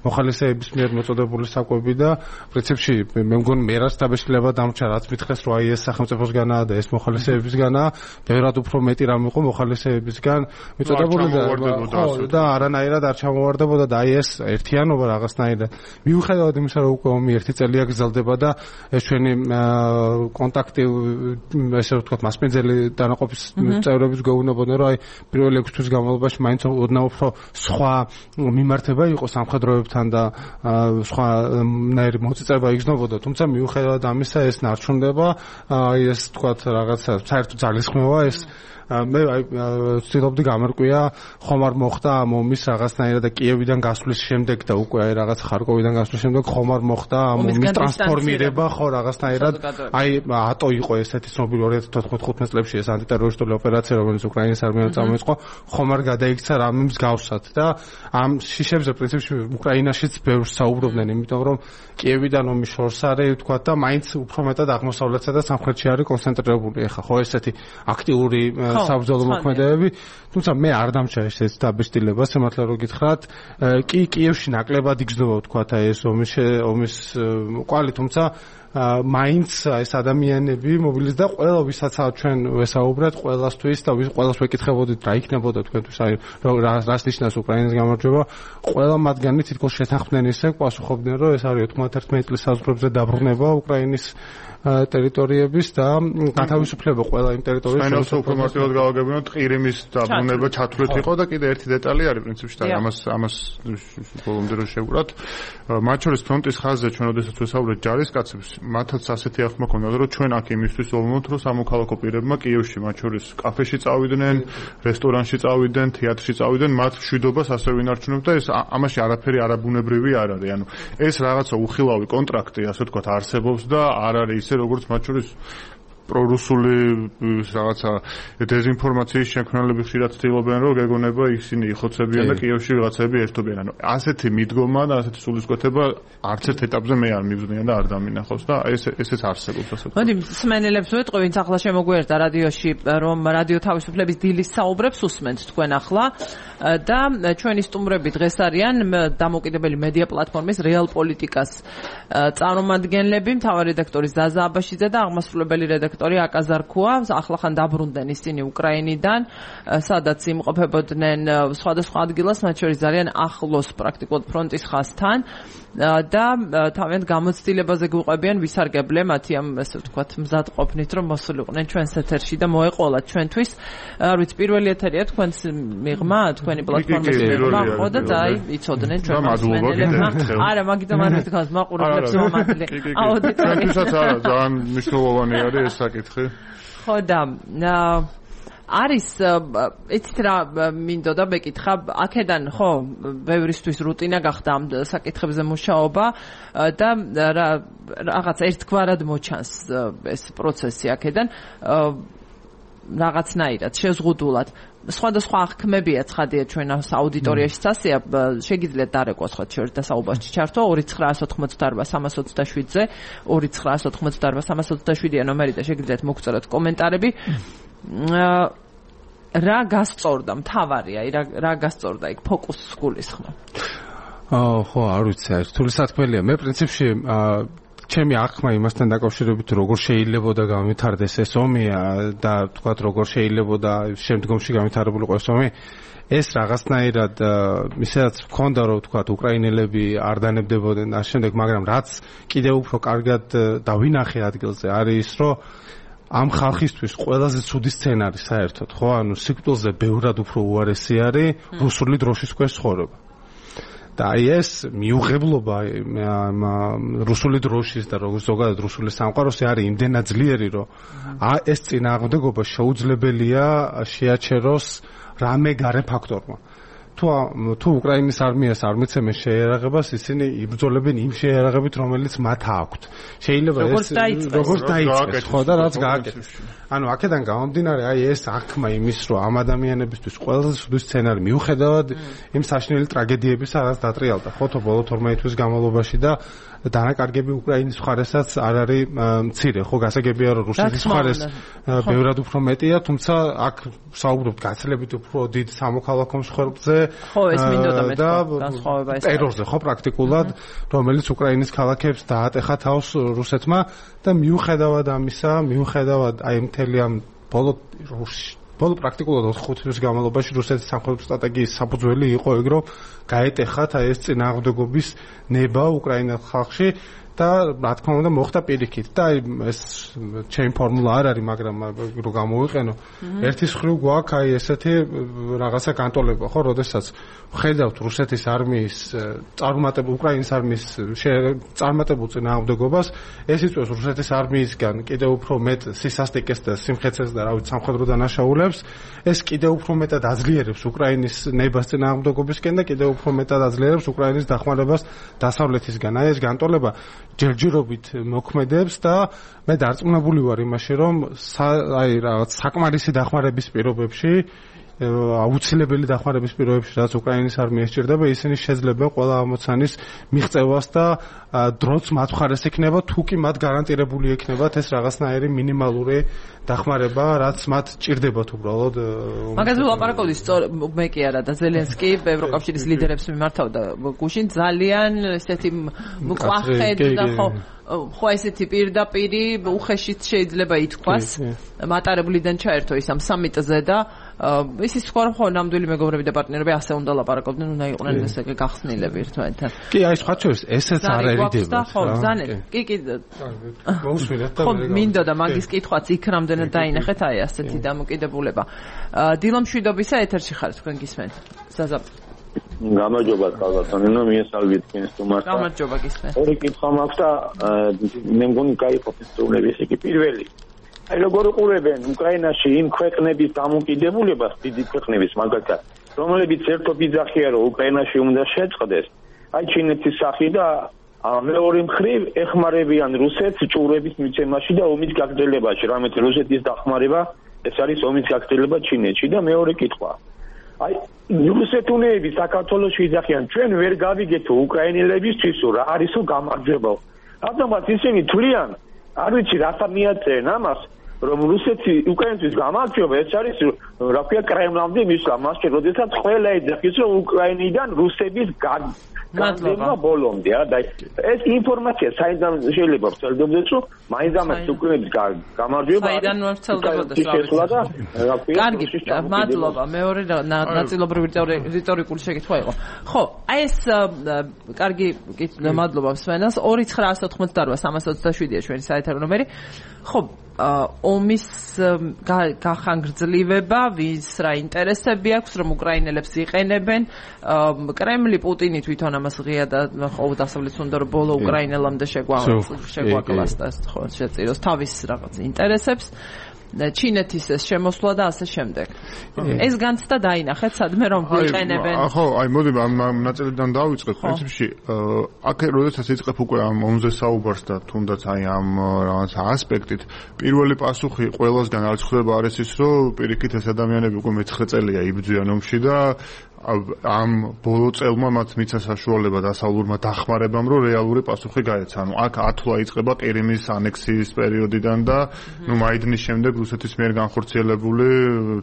Speaker 3: მოხალისეების მიერ მოწოდებული საკვები და პრინციპში მე მგონი მე რაც დაბეჭდილება დამრჩა, რაც მითხრეს, რომ აი ეს სახელმწიფოსგანაა და ეს მოხალისეებისგანაა, ბევრად უფრო მეტი რამ იყო მოხალისეებისგან მიწოდებული და არანაირად არ ჩამოვარდებოდა და აი ეს ერთიანობა რაღაცნაირად მიუხედავად იმისა, რომ უკვე ომი 1 წელია გრძელდება და ეს ჩვენი კონტაქტი ესე ვთქვათ მასპინძელი დანაყოფის წევრების გეუბნებოდნენ, რომ აი პირველი 6 თვის განმავლობაში მაინც ოდნავ უფრო სხვა მიმართება იყო სამხედროებთან და სხვანაირი მოწიწება იგრძნობოდა, თუმცა მიუხედავად ამისა ეს ნარჩუნდება, აი ეს ვთქვათ რაღაცა საერთო ძალისხმევა ეს მე ვცდილობდი გამერკვია ხომ არ მოხდა ამ ომის რაღაცნაირად და კიევიდან გასვლის შემდეგ და უკვე აი რაღაც ხარკოვიდან გასვლის შემდეგ ხომ არ მოხდა ამ ომის ტრანსფორმირება ხო რაღაცნაირად აი ატო იყო ესეთი ცნობილი 2014-15 წლებში ეს ანტიტერორისტული ოპერაცია რომელიც უკრაინის არმიამ წამოიწყო ხომ არ გადაიქცა რამე მსგავსად და ამ შიშებზე პრინციპში უკრაინაშიც ბევრს საუბრობდნენ იმიტომ რომ კიევიდან ომის შორს არის თქვა და მაინც უფრო მეტად აღმოსავლეთსა და სამხრეთში არის კონცენტრირებული ახლა ხო ესეთი აქტიური საბრძოლო მოქმედებები, თუმცა მე არ დამჭა ეს დაბეჭდილება, სიმართლე რომ გითხრათ, კი კიევში ნაკლებად იგრძნობა ვთქვათ ეს ომის კვალი, თუმცა მაინც ეს ადამიანები მობილიზდა ყველა ვისაც ჩვენ ვესაუბრეთ ყველასთვის და ყველას ვეკითხებოდით რა იქნებოდა თქვენთვის აი რას ნიშნავს უკრაინის გამარჯვება ყველა მათგანი თითქოს შეთანხმდნენ ისე პასუხობდნენ რომ ეს არის 91 წლის საზღვრებზე დაბრუნება უკრაინის ტერიტორიების და გათავისუფლება ყველა იმ ტერიტორიების
Speaker 2: შენელს უფრო მარტივად გავაგებინოთ ყირიმის დაბრუნება ჩათვლით იყო და კიდე ერთი დეტალი არის პრინციპში და ამას ბოლომდე რო შევუბრალთ მათ შორის ფრონტის ხაზზე ჩვენ ოდესაც ვესაუბრეთ ჯარისკაცებს მათაც ასეთი ახმა ქონდა რომ ჩვენ აქ იმისთვის ვოლმოთ რომ სამოქალაქო პირებმა კიევში მათ შორის კაფეში წავიდნენ რესტორანში წავიდნენ თეატრში წავიდნენ მათ მშვიდობას ასე ვინარჩუნებთ და ეს ამაში არაფერი არაბუნებრივი არ არის ანუ ეს რაღაცა უხილავი კონტრაქტი ასე ვთქვათ არსებობს და არ არის როგორც მათ შორის პრორუსული რაღაცა დეзинფორმაციის შექმნელები ხშირად ცდილობენ რომ გეგონება ისინი იხოცებიან და კიევში ვიღაცები ერთობიან. ანუ ასეთი მიდგომა და ასეთი სულისკვეთება არც ერთ ეტაპზე მე არ მივზნიან და არ დამინახავს და ესეც არსებობს ასე.
Speaker 1: მოდი მსმენელებს ვეტყვი, ვინც ახლა შემოგვიერთდა რადიოში, რომ რადიო თავისუფლების დილის საუბრებს უსმენთ თქვენ ახლა და ჩვენი სტუმრები დღეს არიან დამოუკიდებელი მედია პლატფორმის რეალ პოლიტიკას წარმომადგენლები, მთავარი რედაქტორი ზაზა აბაშიძე და აღმასრულებელი რედაქტორი აკაზარქუა, ახლახან დაბრუნდნენ ისინი უკრაინიდან, სადაც იმყოფებოდნენ სხვადასხვა ადგილას, მათ შორის ძალიან ახლოს პრაქტიკულად ფრონტის ხაზთან და თავიანთ გამოცდილებაზე გვიყვებიან ვისარგებლე მათი ამ ესე ვთქვათ მზად ყოფნით რომ მოსულიყვნენ ჩვენს ეთერში და მოეყოლათ ჩვენთვის. არ ვიცი პირველი ეთერია თქვენს მიღმა თქვენი პლატფორმის მიღმა ხო და აი იცოდნენ ჩვენ მსმენელებმა. არა მაგიტომ არ ვთქვათ მაყურებლებს მომადლე.
Speaker 2: ჩვენთვისაც არა ძალიან მნიშვნელოვანი არის ეს საკითხი.
Speaker 1: ხო და არის იცით რა მინდოდა მეკითხა აქედან ხო ბევრისთვის რუტინა გახდა ამ საკითხებზე მუშაობა და რაღაც ერთგვარად მოჩანს ეს პროცესი აქედან რაღაცნაირად შეზღუდულად სხვადასხვა აღქმებია ცხადია ჩვენ აუდიტორიაში სასია შეგიძლიათ დარეკოს ხო და საუბარში ჩართო 2988-327-ზე 2988-327-ია ნომერი და შეგიძლიათ მოგწეროთ კომენტარები რა გასწორდა მთავარია რა გასწორდა იქ ფოკუსს გულისხმობ
Speaker 3: ხო არ ვიცი რთული სათქმელია მე პრინციპში ჩემი აღქმა იმასთან დაკავშირებით როგორ შეიძლებოდა გამვითარდეს ეს ომი და თქვათ როგორ შეიძლებოდა შემდგომში გამვითარებულიყო ეს ომი ეს რაღაცნაირად ისედაც მქონდა რომ თქვათ უკრაინელები არ დანებდებოდნენ და შემდეგ მაგრამ რაც კიდევ უფრო კარგად დავინახე ადგილზე არის ის რომ ამ ხალხისთვის ყველაზე ცუდი სცენარი საერთოდ ხო ანუ სიკვდილზე ბევრად უფრო უარესი არის რუსული დროშის ქვეშ ცხოვრება და აი ეს მიუღებლობა რუსული დროშის და როგორც ზოგადად რუსული სამყაროს არის იმდენად ძლიერი რომ ეს წინააღმდეგობა შეუძლებელია შეაჩეროს რამე გარე ფაქტორმა თუ უკრაინის არმიას არ მიცემენ შეიარაღებას ისინი იბრძოლებენ იმ შეიარაღებით რომელიც მათ აქვთ შეიძლება ეს როგორც დაიწყეს ხო და რაც გააკეთეს ანუ აქედან გამომდინარე აი ეს აღქმა იმის რომ ამ ადამიანებისთვის ყველაზე ცუდი სცენარი მიუხედავად იმ საშინელი ტრაგედიებისა რაც დატრიალდა ხო ბოლო 12 თვის განმავლობაში და დანაკარგები უკრაინის მხარესაც არ არის მცირე, ხო, გასაგებია რომ რუსეთის მხარეს ბევრად უფრო მეტია, თუმცა აქ საუბრობთ გაცილებით უფრო დიდ სამოქალაქო მსხვერპლზე და ტერორზე, ხო, პრაქტიკულად, რომელიც უკრაინის ქალაქებს დაატეხა თავს რუსეთმა და მიუხედავად ამისა, მიუხედავად აი მთელი ამ ბოლო პრაქტიკულად 4 თვის განმავლობაში რუსეთის სამხედრო სტრატეგიის საფუძველი იყო ეგ, რომ გაეტეხათ აი ეს წინააღმდეგობის ნება უკრაინის ხალხში და რა თქმა უნდა მოხდა პირიქით და აი ეს ჩემი ფორმულა არ არის, მაგრამ რო გამოვიყენო ერთის ხრივ გვაქვს აი ესეთი რაღაცა განტოლება, ხო, როდესაც ხედავთ რუსეთის არმიის წარმატებულ უკრაინის არმიის წარმატებულ წინააღმდეგობას, ეს იწვევს რუსეთის არმიისგან კიდევ უფრო მეტ სისასტიკეს და სიმხეცეს და რავით სამხედრო დანაშაულებს, ეს კიდევ უფრო მეტად აძლიერებს უკრაინის ნებას წინააღმდეგობისკენ და კიდევ უფრო მეტად აძლიერებს უკრაინის დახმარებას დასავლეთისგან. აი ეს განტოლება ჯერჯერობით მოქმედებს და მე დარწმუნებული ვარ იმაში, რომ აი რაღაც საკმარისი დახმარების პირობებში, აუცილებელი დახმარების პირობებში, რაც უკრაინის არმია სჭირდება, ისინი შეძლებენ ყველა ამოცანის მიღწევას და დროც მათ მხარეს იქნება, თუ კი მათ გარანტირებული იქნებათ ეს რაღაცნაირი მინიმალური დახმარება, რაც მათ ჭირდებათ უბრალოდ.
Speaker 1: მაგაზე ვლაპარაკობდი, მე კი არა და ზელენსკი ევროკავშირის ლიდერებს მიმართავდა გუშინ ძალიან ესეთი მკვახედ და ხო ესეთი პირდაპირი უხეშით შეიძლება ითქვას მატარებლიდან ჩაერთო ის ამ სამიტზე და ისიც თქვა რომ ხო ნამდვილი მეგობრები და პარტნიორები ასე უნდა ლაპარაკობდნენ, უნდა იყვნენ ესე გახსნილები ერთმანეთთან.
Speaker 3: კი, აი სხვა ჩვენს ესეც არ ერიდება.
Speaker 1: ხო, ზანეთ. კი.
Speaker 3: მოусმინეთ და
Speaker 1: ხო, მინდა და მაგის კითხვაც იქ რამდენად დაინახეთ აი ასეთი დამოკიდებულება. დილო მშვიდობისა ეთერში ხარ თქვენ გისმენთ. ზაზა
Speaker 4: გამარჯობა კალბატონინო, მიესალმებით თქვენს სტუმარს.
Speaker 1: გამარჯობა გისმენთ.
Speaker 4: ორი კითხვა მაქვს და მე მგონი გაიყოფით სტუმრების იგი პირველი. აი როგორ უყურებენ უკრაინაში იმ ქვეყნების დამოკიდებულებას, დიდი ქვეყნების მაგალითად, რომლებიც ერთობ იძახია რომ უკრაინაში უნდა შეწყდეს, აი ჩინეთის სახი და მეორე მხრივ ეხმარებიან რუსეთს ჭურვების მიცემაში და ომის გაგრძელებაში, რამეთ რუსეთის დახმარება ეს არის ომის გაგრძელება ჩინეთში და მეორე კითხვა. აი რუსეთუნეები საქართველოში იძახიან ჩვენ ვერ გავიგეთ უკრაინელებისთვის რა არისო გამარჯვება. რადგანაც ისინი თვლიან, არ ვიცი რათა მიაწერენ ამას, რომ რუსეთი უკრაინისთვის გამარჯვება ეს არის რა ქვია კრემლამდე მისვლა, მასში როდესაც ყველა ეძახის რომ უკრაინიდან რუსების გაგრძელება ბოლომდე და ეს ინფორმაცია საიდან შეიძლება ვრცელდებოდეს რომ მაინც უკრაინის გამარჯვება
Speaker 1: საიდან ვრცელდებოდეს რა ქვია. კარგი, მადლობა. მეორე ნაწილობრივ რიტორიკული შეკითხვა იყო. ხო, აი ეს კარგი მადლობა მსმენელს 2988327-ია ჩვენი საეთერო ნომერი. ხო, ომის გახანგრძლივება, ვის რა ინტერესები აქვს, რომ უკრაინელებს იყენებენ. კრემლი, პუტინი თვითონ ამას ღია და ხო დასავლეთს უნდა რომ ბოლო უკრაინელამდე შეგვაკლას და ხო შეწიროს თავის რაღაც ინტერესებს. ჩინეთის ეს შემოსვლა და ასე შემდეგ. ეს განცდა დაინახეთ სადმე რომ ვიყენებენ.
Speaker 2: ხო, აი მოდი ამ ნაწილიდან დავიწყებ. პრინციპში აქ როდესაც იწყებ უკვე ამ ომზე საუბარს და თუნდაც აი ამ რაღაც ასპექტით, პირველი პასუხი ყველასგან არ ხდება არის ის, რომ პირიქით ეს ადამიანები უკვე მე-9 წელია იბრძვიან ომში და ამ ბოლო წელმა მათ მიცა საშუალება დასავლურმა დახმარებამ, რომ რეალური პასუხი გაეცა. ანუ აქ ათვლა იწყება ყირიმის ანექსიის პერიოდიდან და ნუ მაიდნის შემდეგ რუსეთის მიერ განხორციელებული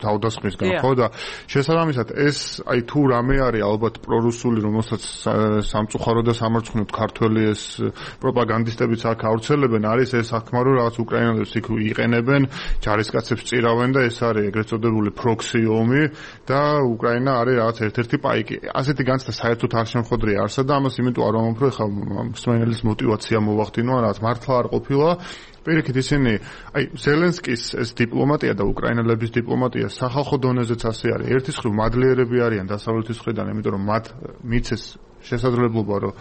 Speaker 2: თავდასხმისგან, ხო და შესაბამისად ეს აი თუ რამე არის ალბათ პრორუსული, რომელსაც სამწუხარო და სამარცხვინოდ ქართველი ეს პროპაგანდისტებიც აქ ავრცელებენ, არის ეს საქმე, რომ რაღაც უკრაინელებს იქ იყენებენ, ჯარისკაცებს წირავენ და ეს არის ეგრეთ წოდებული პროქსი ომი და უკრაინა არის რაღაც ერთ-ერთი პაიკი. ასეთი განცდა საერთოდ არ შემხოდრია არსად და ამას იმიტომ არ ვამბობ, რომ ხა მსმენელის мотиваცია მოვახდინო, რაც მართლა არ ყოფილა. პირიქით ისინი, აი ზელენსკის ეს დიპლომატია და უკრაინელების დიპლომატია სახალხო დონეზეც ასე არის. ერთის მხრივ მადლიერები არიან დასავლეთის მხრიდან, იმიტომ რომ მათ მიცეს შესაძლებლობა, რომ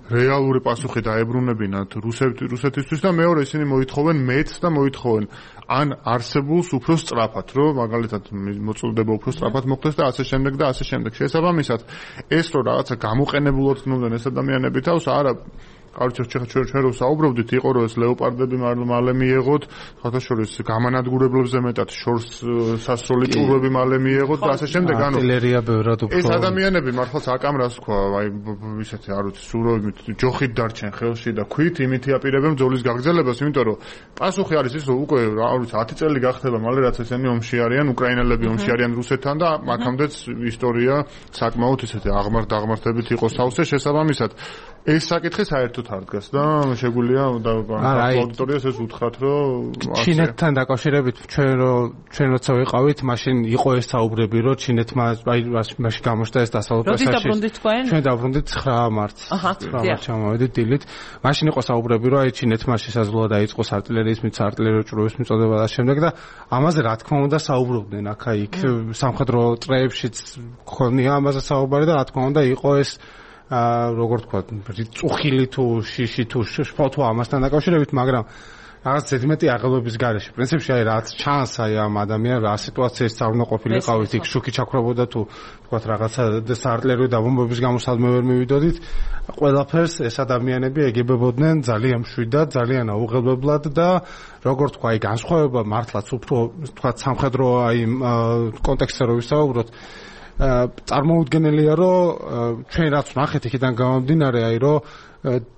Speaker 2: რეალური პასუხი დაებრუნებინათ რუსეთისთვის და მეორე ისინი მოითხოვენ მეც და მოითხოვენ ან არსებულს უფრო სწრაფად, რომ მაგალითად მოწოდება უფრო სწრაფად მოხდეს და ასე შემდეგ და ასე შემდეგ. შესაბამისად ეს რომ რაღაცა გამოყენებულად გნობდნენ ეს ადამიანები თავს, არა ჩვენ რო საუბრობდით, იყო რომ ეს ლეოპარდები მალე მიეღოთ, ხოთა შორის გამანადგურებლებზე მეტად შორს სასროლი ჭურვები მალე მიეღოთ და ასე შემდეგ,
Speaker 3: არტილერია ბევრად უფრო.
Speaker 2: ეს ადამიანები მართლაც აკამრას თქვა, აი ისეთი არ ვიცი, სუროებით ჯოხით დარჩენ ხელში და ქვით იმითი აპირებენ ბრძოლის გაგრძელებას, იმიტომ რომ პასუხი არის ის, რომ უკვე არ ვიცი 10 წელი გახდება მალე რაც ესენი ომში არიან, უკრაინელები ომში არიან რუსეთთან და მაქამდეც ისტორია საკმაოდ ისეთი აღმართებით იყო სავსე შესაბამისად. ეს საკითხი საერთოდ არ დგას და შეგვიძლია და აუდიტორიას ეს უთხრათ, რომ
Speaker 3: ჩინეთთან დაკავშირებით ჩვენ როცა ვიყავით, მაშინ იყო ეს საუბრები, რომ ჩინეთმა მაშინ გამოჩნდა ეს დასავლეთ
Speaker 1: პრესაში.
Speaker 3: ჩვენ დაბრუნდით 9 მარტს. 9 მარტს ჩამოვედით დილით. მაშინ იყო საუბრები, რომ აი ჩინეთმა შესაძლოა დაიწყოს არტილერიის არტილერიო ჭურვების მიწოდება და შემდეგ და ამაზე რა თქმა უნდა საუბრობდნენ აქა-იქ სამხედრო წრეებშიც ქონია ამაზე საუბარი და რა თქმა უნდა იყო ეს როგორ თქვა წუხილი თუ შიში თუ შფოთვა ამასთან დაკავშირებით, მაგრამ რაღაც ზედმეტი აღელვების გარეშე. პრინციპში აი რაც ჩანს აი ამ ადამიანს რა სიტუაციის არ უნდა ყოფილიყავით, იქ შუქი ჩაქრობოდა თუ თქვა რაღაცა საარტილერიო დაბომბების გამო სადმე ვერ მივიდოდით, ყველაფერს ეს ადამიანები ეგებებოდნენ ძალიან მშვიდად, ძალიან აუღელებლად და როგორ თქვა აი განსხვავება მართლაც უფრო თქვა სამხედრო აი კონტექსტზე რო ვისაუბროთ, წარმოუდგენელია რომ ჩვენ რაც ვნახეთ იქიდან გამომდინარე აი რომ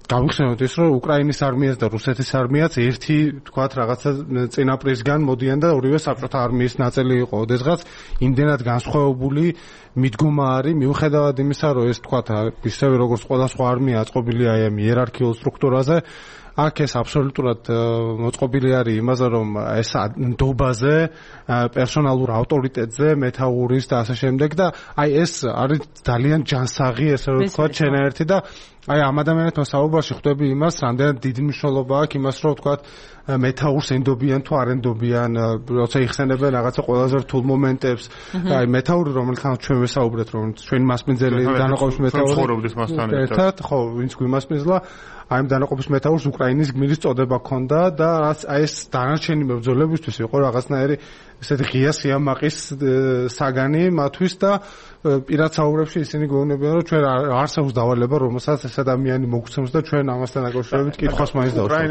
Speaker 3: გავიხსენოთ ის რომ უკრაინის არმიას და რუსეთის არმიაც ერთი თქვათ რაღაცა წინაპრისგან მოდიან და ორივე საბჭოთა არმიის ნაწილი იყო. ოდესღაც იმდენად განსხვავებული მიდგომა არის მიუხედავად იმისა რომ ეს თქვათ ისევე როგორც ყველა სხვა არმია აწყობილია აი ამ იერარქიულ სტრუქტურაზე, აქ ეს აბსოლუტურად მოწყობილი არის იმაზე რომ ეს ნდობაზე, პერსონალურ ავტორიტეტზე, მეთაურის და ასე შემდეგ და აი ეს არის ძალიან ჯანსაღი ესე რომ ვთქვათ ჩენაერთი და აი ამ ადამიანებთან საუბარში ხვდები იმას, რამდენად დიდი მნიშვნელობა აქვს იმას რომ ვთქვათ მეთაურს ენდობიან თუ არ ენდობიან, როცა იხსენებენ რაღაცა ყველაზე რთულ მომენტებს, აი მეთაური რომელთან ჩვენ ვესაუბრეთ რომ ჩვენი მასპინძელი დანაყოფის მეთაური
Speaker 2: ცხოვრობდეს მასთან
Speaker 3: ერთად, ხო, ვინც გვიმასპინძლა, აი ამ დანაყოფის მეთაურს უკრაინის გმირის წოდება ჰქონდა და აი ეს დანარჩენი მებრძოლებისთვის იყო რაღაცნაირი ესეთი ღია სიამაყის საგანი მათთვის და პირად საუბრებში ისინი გვეუბნებიან რომ ჩვენ არსებობს დავალება რომელსაც ეს ადამიანი მოგცემს და ჩვენ ამასთან დაკავშირებით კითხვას მაინც დავსვათ.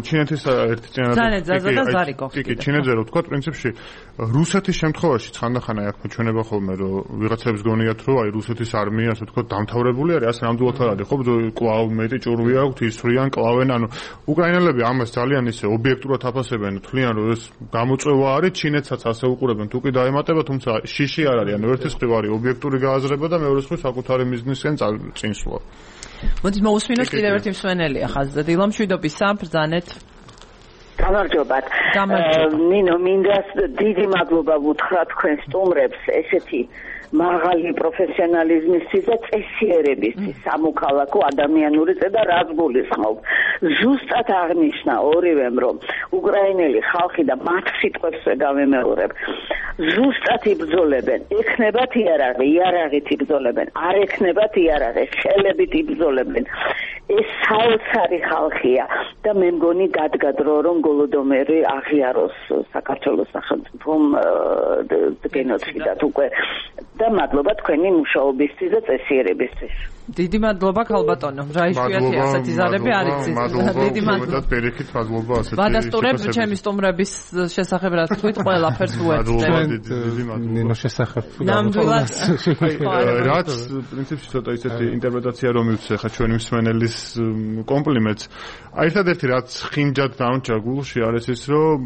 Speaker 2: ჩინეთის ერთი წინადადება კი ჩინეთზე რო ვთქვა პრინციპში რუსეთის შემთხვევაში ხანდახან აი აქ ჩვენება ხოლმე რომ ვიღაცებს გონიათ რომ აი რუსეთის არმია ასე ვთქვა დამთავრებული არის, ასე ნამდვილად არ არის, ხო კლავ მეტი ჭურვი აქვს, ისვრიან კლავენ, ანუ უკრაინელები ამას ძალიან ისე ობიექტურად აფასებენ, თვლიან რომ ეს გამოწვევა არის, ჩინეთსაც ასე უყურებენ, თუ კი დაემატება, თუმცა შიში არ არის, ანუ ერთის მხრივ არის ობიექტური გააზრება და მეორეს მხრივ საკუთარი მიზნისკენ წინსვლა.
Speaker 1: მოდი მოусმინოთ კიდევ ერთი მსვენელი ახალ დილა მშვიდობისა, ბრძანეთ.
Speaker 5: გამარჯობათ. ნინო, მინდა დიდი მადლობა ვუთხრა თქვენ სტუმრებს ესეთი მაღალი პროფესიონალიზმისთვის და წესიერებისთვის სამოქალაქო ადამიანური წედა რაც გულისხმობ. ზუსტად აღნიშნა ორივემ რომ უკრაინელი ხალხი და მათ სიტყვებს ვეგავემეორებ ზუსტად იბრძოლებენ, ექნებათ იარაღით იბრძოლებენ, არ ექნებათ იარაღი, ხელებით იბრძოლებენ. ეს საოცარი ხალხია და მე მგონი დადგა დრო რომ გოლოდომერი აღიაროს საქართველოს სახელმწიფომ გენოციდად უკვე და მადლობა თქვენი მუშაობისთვის და წესიერებისთვის.
Speaker 1: დიდი მადლობა ქალბატონო. რა იშვიათი ასეთი ზარები არ იცის.
Speaker 2: დიდი მადლობა. ბერექით მადლობა ასეთი.
Speaker 1: ვადასტურებ ჩემი სტუმრების შესახებ რა თქვით, ყველაფერს უერთდება.
Speaker 2: დიდი მადლობა.
Speaker 3: ნინო შესახებ.
Speaker 1: ნამდვილად.
Speaker 2: რაც პრინციპში ცოტა ისეთი ინტერპრეტაცია რომ მივცე ხა ჩვენი მსმენელის კომპლიმენტს. აი ერთადერთი რაც ხინჯად დამჭა გულში არის ის რომ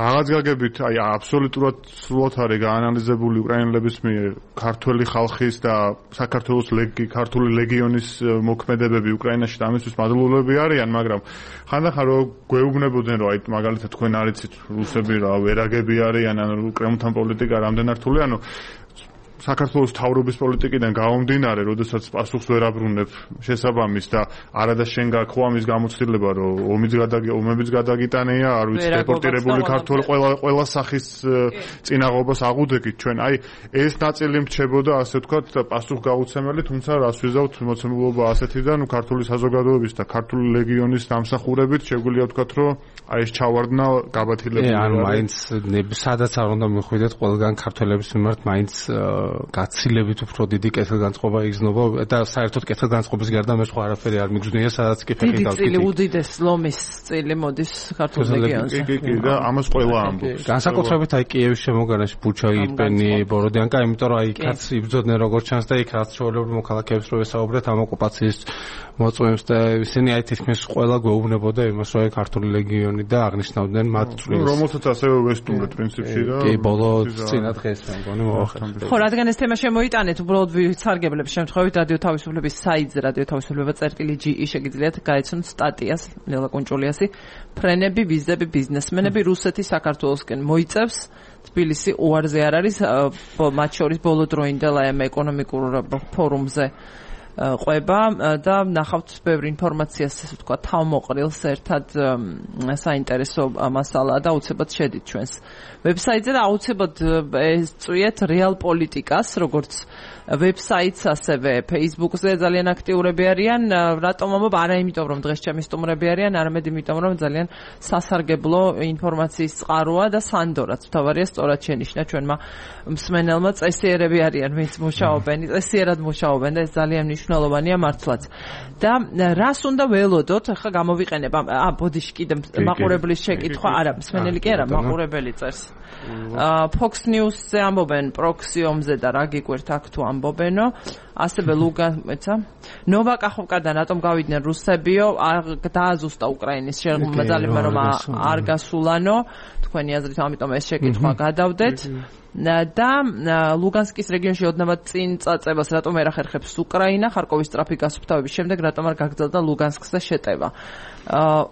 Speaker 2: რაღაც გაგებით აი აბსოლუტურად სრულად არის გაანალიზებული უკრაინელების მიერ ქართული ხალხის და საქართველოს ქართული ლეგიონის მოქმედებები უკრაინაში და ამისთვის მადლობელები არიან, მაგრამ ხანდახან რომ გვეუბნებოდნენ რომ აი მაგალითად თქვენ არიცით რუსები რა ვერაგები არიან, ანუ კრემლთან პოლიტიკა რამდენ რთული, ანუ საქართველოს თავრობის პოლიტიკიდან გამომდინარე, როდესაც პასუხს ვერ აბრუნებ შესაბამის და არადა შენ გაქვს ამის გამოცდილება, რომ ომებიც გადაგიტანია, არ ვიცი, დეპორტირებული ქართველი ყველა სახის წინაღობას აღუდგით ჩვენ. აი ეს ნაწილი მრჩებოდა, ასე ვთქვათ, პასუხგაუცემელი, თუმცა რას ვიზავთ მოცემულობა ასეთიდან, ქართული საზოგადოების და ქართული ლეგიონის დამსახურებით შეგვიძლია ვთქვათ, რომ აი ეს ჩავარდნა გაბათილებული.
Speaker 3: ანუ მაინც სადაც არ უნდა მიხვიდეთ ყველგან ქართველების მიმართ მაინც გაცილებით უფრო დიდი კეთილგანწყობა იგრძნობა და საერთოდ კეთილგანწყობის გარდა მე სხვა არაფერი არ მიგრძნია, სადაც კი ფეხი გავკითი.
Speaker 1: დიდი უდიდეს ლომის წილი მოდის ქართულ რეგიონზე.
Speaker 2: კი და ამას ყველა ამბობს.
Speaker 3: განსაკუთრებით აი კიევის შემოგარენში ბუჩა, ირპენი, ბოროდიანკა, იმიტომ რომ აი კაც იბრძოდნენ როგორც ჩანს და იქ რაც ჩვეულებრივ მოქალაქეებს რო ესაუბრეთ ამ ოკუპაციის მოწმეებს და ისინი აი თითქმის ყველა გვეუბნებოდა იმას, რომ აი ქართული ლეგიონი და აღნიშნავდნენ მათ წვლილს.
Speaker 2: რომელსაც ასევე ვესტუმრეთ პრინციპში და
Speaker 3: კი ბოლო წინა დღეს მე მგონი მოახერხეთ.
Speaker 1: ხო, რადგან ეს თემა შემოიტანეთ, უბრალოდ ვისარგებლებ შემთხვევით რადიო თავისუფლების საიტზე, რადიო თავისუფლება წერტილი.ge შეგიძლიათ გაეცნოთ სტატიას ლელა კუნჭულიასი, ფრენები, ვიზები, ბიზნესმენები რუსეთის საქართველოსკენ მოიწევს. თბილისი უარზე არ არის, მათ შორის ბოლო დროინდელ აი ამ ეკონომიკურ ფორუმზე ყვება და ნახავთ ბევრი ინფორმაციას, ასე ვთქვა, თავმოყრილს ერთად საინტერესო მასალა და აუცილებლად შედით ჩვენს ვებსაიტზე და აუცილებლად წვიეთ რეალ პოლიტიკას, როგორც ვებსაიტს, ასევე Facebook-ზე ძალიან აქტიურები არიან. რატომ ამბობ? არა იმიტომ, რომ დღეს ჩემი სტუმრები არიან, არამედ იმიტომ, რომ ძალიან სასარგებლო ინფორმაციის წყაროა და სანდორაც თავარია სწორად შენიშნა ჩვენმა მსმენელმა, წესიერები არიან, ვინც მუშაობენ, წესიერად მუშაობენ და ეს ძალიან მნიშვნელოვანია მართლაც. და რას უნდა ველოდოთ? ახლა გამოვიყენებ ბოდიში კიდე მაყურებლის შეკითხვა, არა, მსმენელი კი არა, მაყურებელი წერს. Fox News-ზე ამბობენ პროქსიომზე და რა გიკვირთ აქ თუ ამბობენო. ასევე ლუგანსკა, ნოვა კახოვკადან რატომ გავიდნენ რუსებიო? დააზუსტა უკრაინის შემოძალებმა რომ არ გასულანო. თქვენი აზრით, ამიტომ ეს შეკითხვა გადავდეთ. და ლუგანსკის რეგიონში ოდნავად წინ წაწებას რატომ არ ახერხებს უკრაინა? ხარკოვის სწრაფი გასუფთავების შემდეგ რატომ არ გაგრძელდა ლუგანსკზე შეტევა?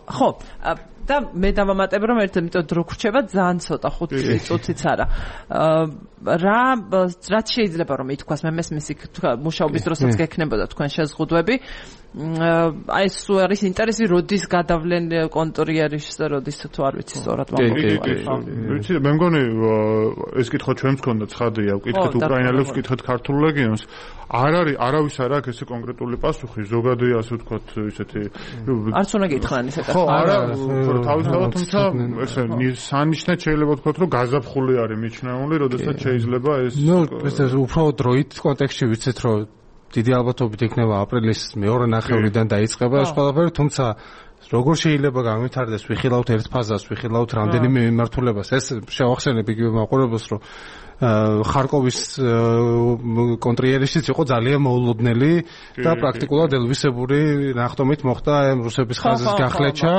Speaker 1: ხო, და მე დავამატებ რომ ერთად დრო გრჩება ძალიან ცოტა 5 წუთიც არა. რაც შეიძლება რომ ითქვას მე მესმის იქ მუშაობის დროსაც გექნებოდა თქვენ შეზღუდვები. აი ეს არის ინტერესი როდის გადავლენ კონტრიერიშს და როდის თუ არ ვიცი სწორად
Speaker 2: ვიცი მე მგონი ეს კითხვა ჩვენს გქონდა ცხადია ვკითხეთ უკრაინელებს ვკითხეთ ქართულ ლეგიონს არ არის არავის არ აქვს ესე კონკრეტული პასუხი ზოგადია ასე ვთქვათ ისეთი
Speaker 1: არც უნდა გითხრან ესე
Speaker 2: ხო არა თავისთავად თუმცა ესე სანიშნად შეიძლება ვთქვათ რომ გაზაფხული არის მიჩნეული როდესაც შეიძლება ეს
Speaker 3: ნუ ეს უფრო დროით კონტექსტში ვიცით რომ დიდი ალბათობით იქნება აპრილის მეორე ნახევრიდან დაიწყება ეს ყველაფერი, თუმცა როგორ შეიძლება განვითარდეს ვიხილავთ ერთ ფაზას, ვიხილავთ რამდენიმე მიმართულებას. ეს შევახსენებ იგივე მაყურებელს, რომ ხარკოვის კონტრიერიშიც იყო ძალიან მოულოდნელი და პრაქტიკულად ელვისებური ნახტომით მოხდა რუსების ხაზის გახლეჩა.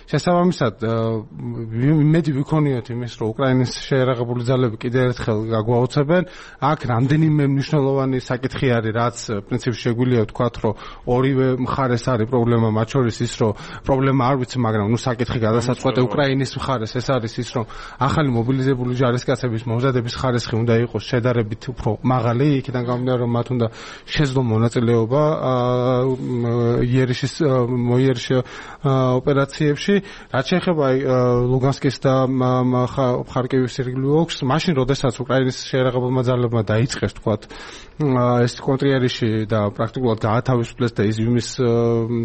Speaker 3: შესაბამისად, იმედი ვიქონიოთ იმის, რომ უკრაინის შეერაღებული ძალები კიდევ ერთხელ გაგვაოცებენ. აქ რამდენიმე მნიშვნელოვანი საკითხი არის, რაც პრინციპში შეგვიძლია ვთქვათ, რომ ორივე მხარეს არის პრობლემა, მათ შორის ის, რომ პრობლემა არ ვიცი, მაგრამ ნუ საკითხი გადასაწყვეტე უკრაინის მხარეს ეს არის ის, რომ ახალი მობილიზებული ჯარისკაცების მომზადების ხარისხი უნდა იყოს შედარებით უფრო მაღალი, იქიდან გამომდინარე რომ მათ უნდა შეძლო მონაწილეობა იერიშის ოპერაციებში. რაც შეეხება ლუგანსკის და ხარკოვის ირგვლივ ოლქს, მაშინ როდესაც უკრაინის შეერაღებულმა ძალებმა დაიწყეს თქვათ ეს კონტრიერიში და პრაქტიკულად გაათავისუფლეს და იზიუმის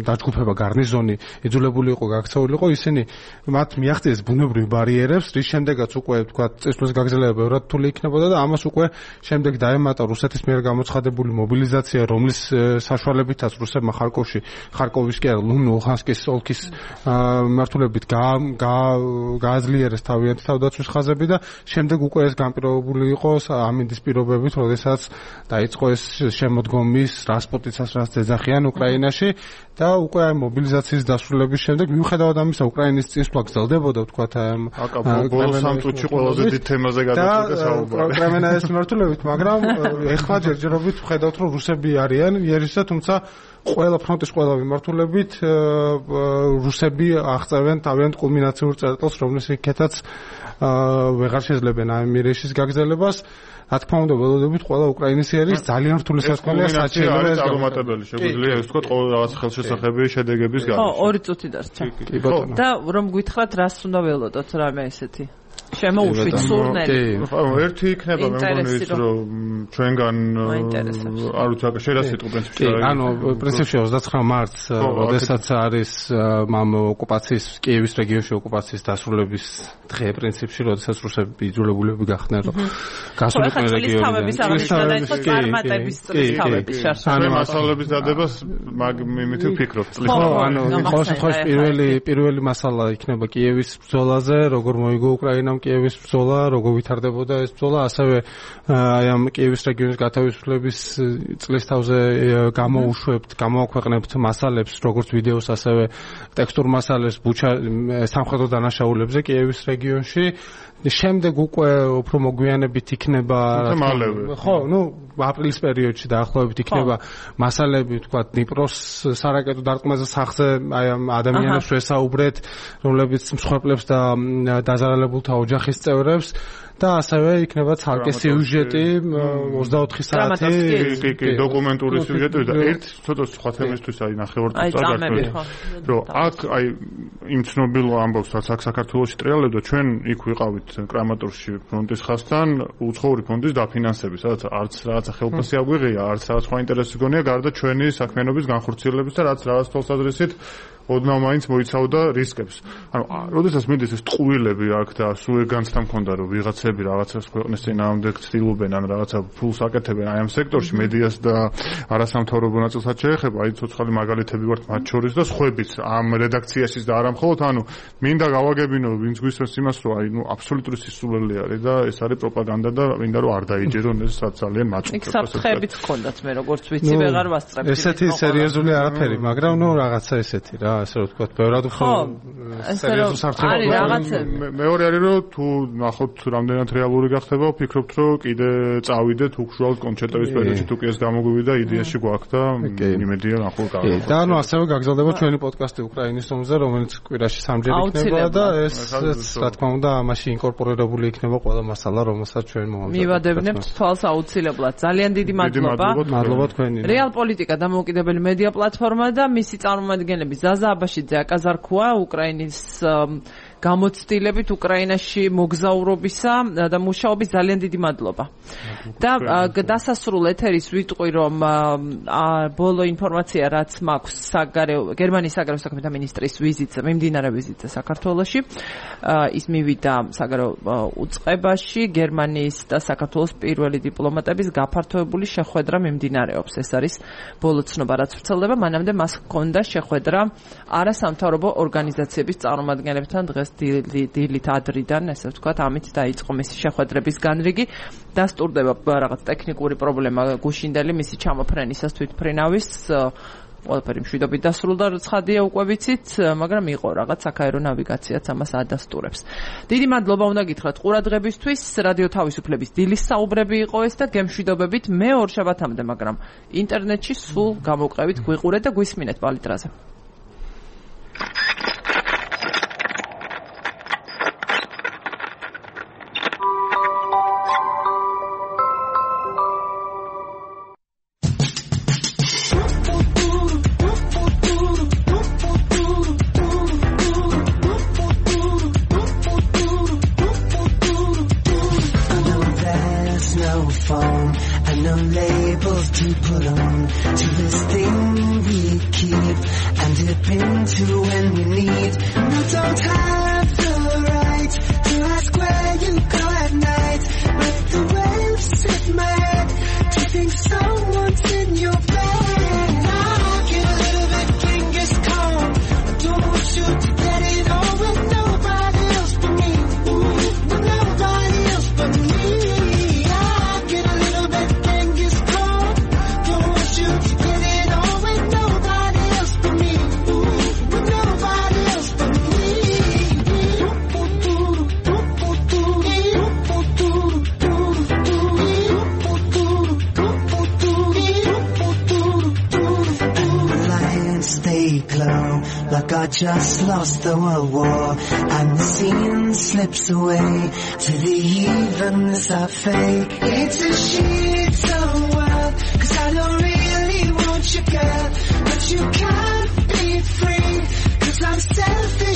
Speaker 3: დაჯგუფება გარნიზონი იძულებული იყო გაქცეული იყო, ისინი მათ მიაღწიეს ბუნებრივ ბარიერებს, რის შემდეგაც უკვე თქვათ წესრიგის გაგრძელება ბევრად რთული იქნებოდა და ამას უკვე შემდეგ დაემატა რუსეთის მიერ გამოცხადებული მობილიზაცია, რომლის საშუალებითაც რუსებმა ხარკოვის კი არა, ლუგანსკის ოლქის მმართველობით გააძლიერეს თავიანთი თავდაცვის ხაზები და შემდეგ უკვე ეს განპირობებული იყო ამინდის პირობებით, როდესაც დაიწყო ეს შემოდგომის რასპუტიცას რაც ეძახიან უკრაინაში და უკვე აი მობილიზაციის დასრულების შემდეგ მიუხედავად ამისა უკრაინის წინსვლა გრძელდებოდა ვთქვათ
Speaker 2: ბოლო სამ წუთში ყველაზე დიდ თემაზე გადაწყვეტა საუბარი
Speaker 3: უკრაინას მიმართულებით, მაგრამ ეხლა ჯერჯერობით ვხედავთ რომ რუსები არიან იერიშსა, თუმცა ყველა ფრონტის ყველა მიმართულებით რუსები აღწევენ თავიანთ კულმინაციურ წერტილს, რომლისთვისაც ვეღარ შეძლებენ ამ იერიშის გაგრძელებას. რა თქმა უნდა, ველოდებით ყველა უკრაინისი არის ძალიან რთული სასწავლია საჭიროა ეს
Speaker 2: წარმატებელი. შეგვიძლია ეს ვთქვათ ყოველ რაღაც ხელშესახები შედეგების გარშემო.
Speaker 1: ხო, 2 წუთი დარჩა. და რომ გითხრათ, რას უნდა ველოდოთ რამე ესეთი? შემოუშვით სურნელი.
Speaker 2: ერთი იქნება მე მგონი ის რომ ჩვენგან არ ვიცი შეიძლება სიტყვა პრინციპში
Speaker 3: ანუ პრინციპში 29 მარტს როდესაც არის ამ ოკუპაციის კიევის რეგიონში ოკუპაციის დასრულების დღე პრინციპში როდესაც რუსები იძულებულები გახდნენ რომ გასულიყო რეგიონიდან
Speaker 2: მასალების დადებას იმით ვფიქრობთ
Speaker 3: ხო ანუ ყოველ შემთხვევაში პირველი მასალა იქნება კიევის ბრძოლაზე როგორ მოიგო უკრაინამ კიევის ბრძოლა როგორ ვითარდებოდა ეს ბრძოლა ასევე აი ამ კიევის რეგიონის გათავისუფლების წლის თავზე გამოაქვეყნებთ მასალებს როგორც ვიდეოს ასევე ტექსტურ მასალებს სამხედრო დანაშაულებზე კიევის რეგიონში შემდეგ უკვე უფრო მოგვიანებით იქნება ხო ნუ აპრილის პერიოდში დაახლოებით იქნება მასალები თქვა დნიპროს სარაკეტო დარტყმაზე სახზე აი ამ ადამიანებს ვესაუბრეთ რომლებიც მსხვერპლებს და დაზარალებულთა ოჯახის წევრებს და ასევე იქნება ცალკე სიუჟეტი 24 საათი
Speaker 2: კი დოკუმენტური სიუჟეტი და ერთ ცოტა სხვა თემისთვის აი ნახევარწუთს წაგართმევთ რომ აქ აი იმ ცნობილ ამბავს რაც აქ საქართველოში ტრიალებდა ჩვენ იქ ვიყავით კრამატორში ფრონტის ხაზთან უცხოური ფონდის დაფინანსების სადაც არც რაღაცა ხელფასი აგვიღია არც რაღაც სხვა ინტერესი გონია გარდა ჩვენი საქმიანობის განხორციელების და რაც რაღაც თვალსაზრისით ოდნავ მაინც მოიცავდა რისკებს. ანუ, როდესაც მიდის ეს ტყუილები აქ და სულ ეგანცდა მქონდა რომ ვიღაცები რაღაცას ქვეყნის წინააღმდეგ ცდილობენ ან რაღაცა ფულს აკეთებენ აი ამ სექტორში მედიას და არასამთავრობო ნაწილსაც შეეხება, აი ცოცხალი მაგალითები ვართ მათ შორის და სხვაებიც ამ რედაქციაშიც და არა მხოლოდ, ანუ მინდა გავაგებინო ვინც გვისმენს იმას რომ აი ნუ აბსოლუტური სისულელი არის და ეს არის პროპაგანდა და მინდა რომ არ დაიჯერონ ეს ძალიან მაწუხებს.
Speaker 1: იქ საფრთხეებიც ჰქონდათ მე როგორც ვიცი ვეღარ ვასწრებ.
Speaker 3: ესეთი სერიოზული არაფერი, მაგრამ ნუ რაღაცა ესეთი რა ასე რომ ვთქვათ, ბევრად უფრო სერიოზულ საფრთხეებს.
Speaker 2: მეორე არის რომ თუ ნახოთ რამდენად რეალური გახდება, ვფიქრობთ რომ კიდე წავიდეთ უხშუალოდ კონჩერტების პერიოდში თუ კი ეს გამოგვივიდა იდეაში გვაქვს და იმედია ნახოთ გავაკეთოთ.
Speaker 3: და ანუ ასევე გაგრძელდება ჩვენი პოდკასტი უკრაინის ომზე, რომელიც კვირაში 3-ჯერ იქნება და ეს რა თქმა უნდა ამაში ინკორპორირებული იქნება ყველა მასალა, რომელსაც ჩვენ მომავალი.
Speaker 1: მივადევნებთ თვალს აუცილებლად. ძალიან დიდი მადლობა.
Speaker 3: მადლობა თქვენი.
Speaker 1: რეალ პოლიტიკა დამოუკიდებელი მედია პლატფორმა და მისი წარმომადგენლები ზაზა აბაშიძე, აკაზარქუა, უკრაინის გამოცდილებით უკრაინაში მოგზაურობისა და მუშაობის ძალიან დიდი მადლობა. და დასასრულ ეთერის ვიტყვი რომ ბოლო ინფორმაცია რაც მაქვს გერმანიის საგარეო საქმეთა მინისტრის ვიზიტზე, მიმდინარე ვიზიტზე საქართველოში, ის მივიდა საგარეო უწყებაში, გერმანიის და საქართველოს პირველი დიპლომატების გაფართოებული შეხვედრა მიმდინარეობს. ეს არის ბოლო ცნობა რაც ვრცელდება, მანამდე მას ჰქონდა შეხვედრა არასამთავრობო ორგანიზაციების წარმომადგენლებთან დღეს დილით ადრიდან, ესე ვთქვათ, ამით დაიწყო მისი შეხვედრების განრიგი. დასტურდება რაღაც ტექნიკური პრობლემა გუშინდელი მისი ჩამოფრენისას თვითმფრინავის ყველაფერი მშვიდობით დასრულდა, ცხადია უკვე ვიცით, მაგრამ იყო რაღაც საქაერო ნავიგაციაც ამას ადასტურებს. დიდი მადლობა უნდა გითხრათ ყურადღებისთვის. რადიო თავისუფლების დილის საუბრები იყო ეს და გემშვიდობებით მე ორშაბათამდე, მაგრამ ინტერნეტში სულ გამოვყევით, გვიყურეთ და გვისმინეთ პალიტრაზე.
Speaker 6: Just lost the world war and the scene slips away to the evenness of fake. It's a shit of world, 'cause I don't really want you, girl, but you can't be free, 'cause I'm selfish.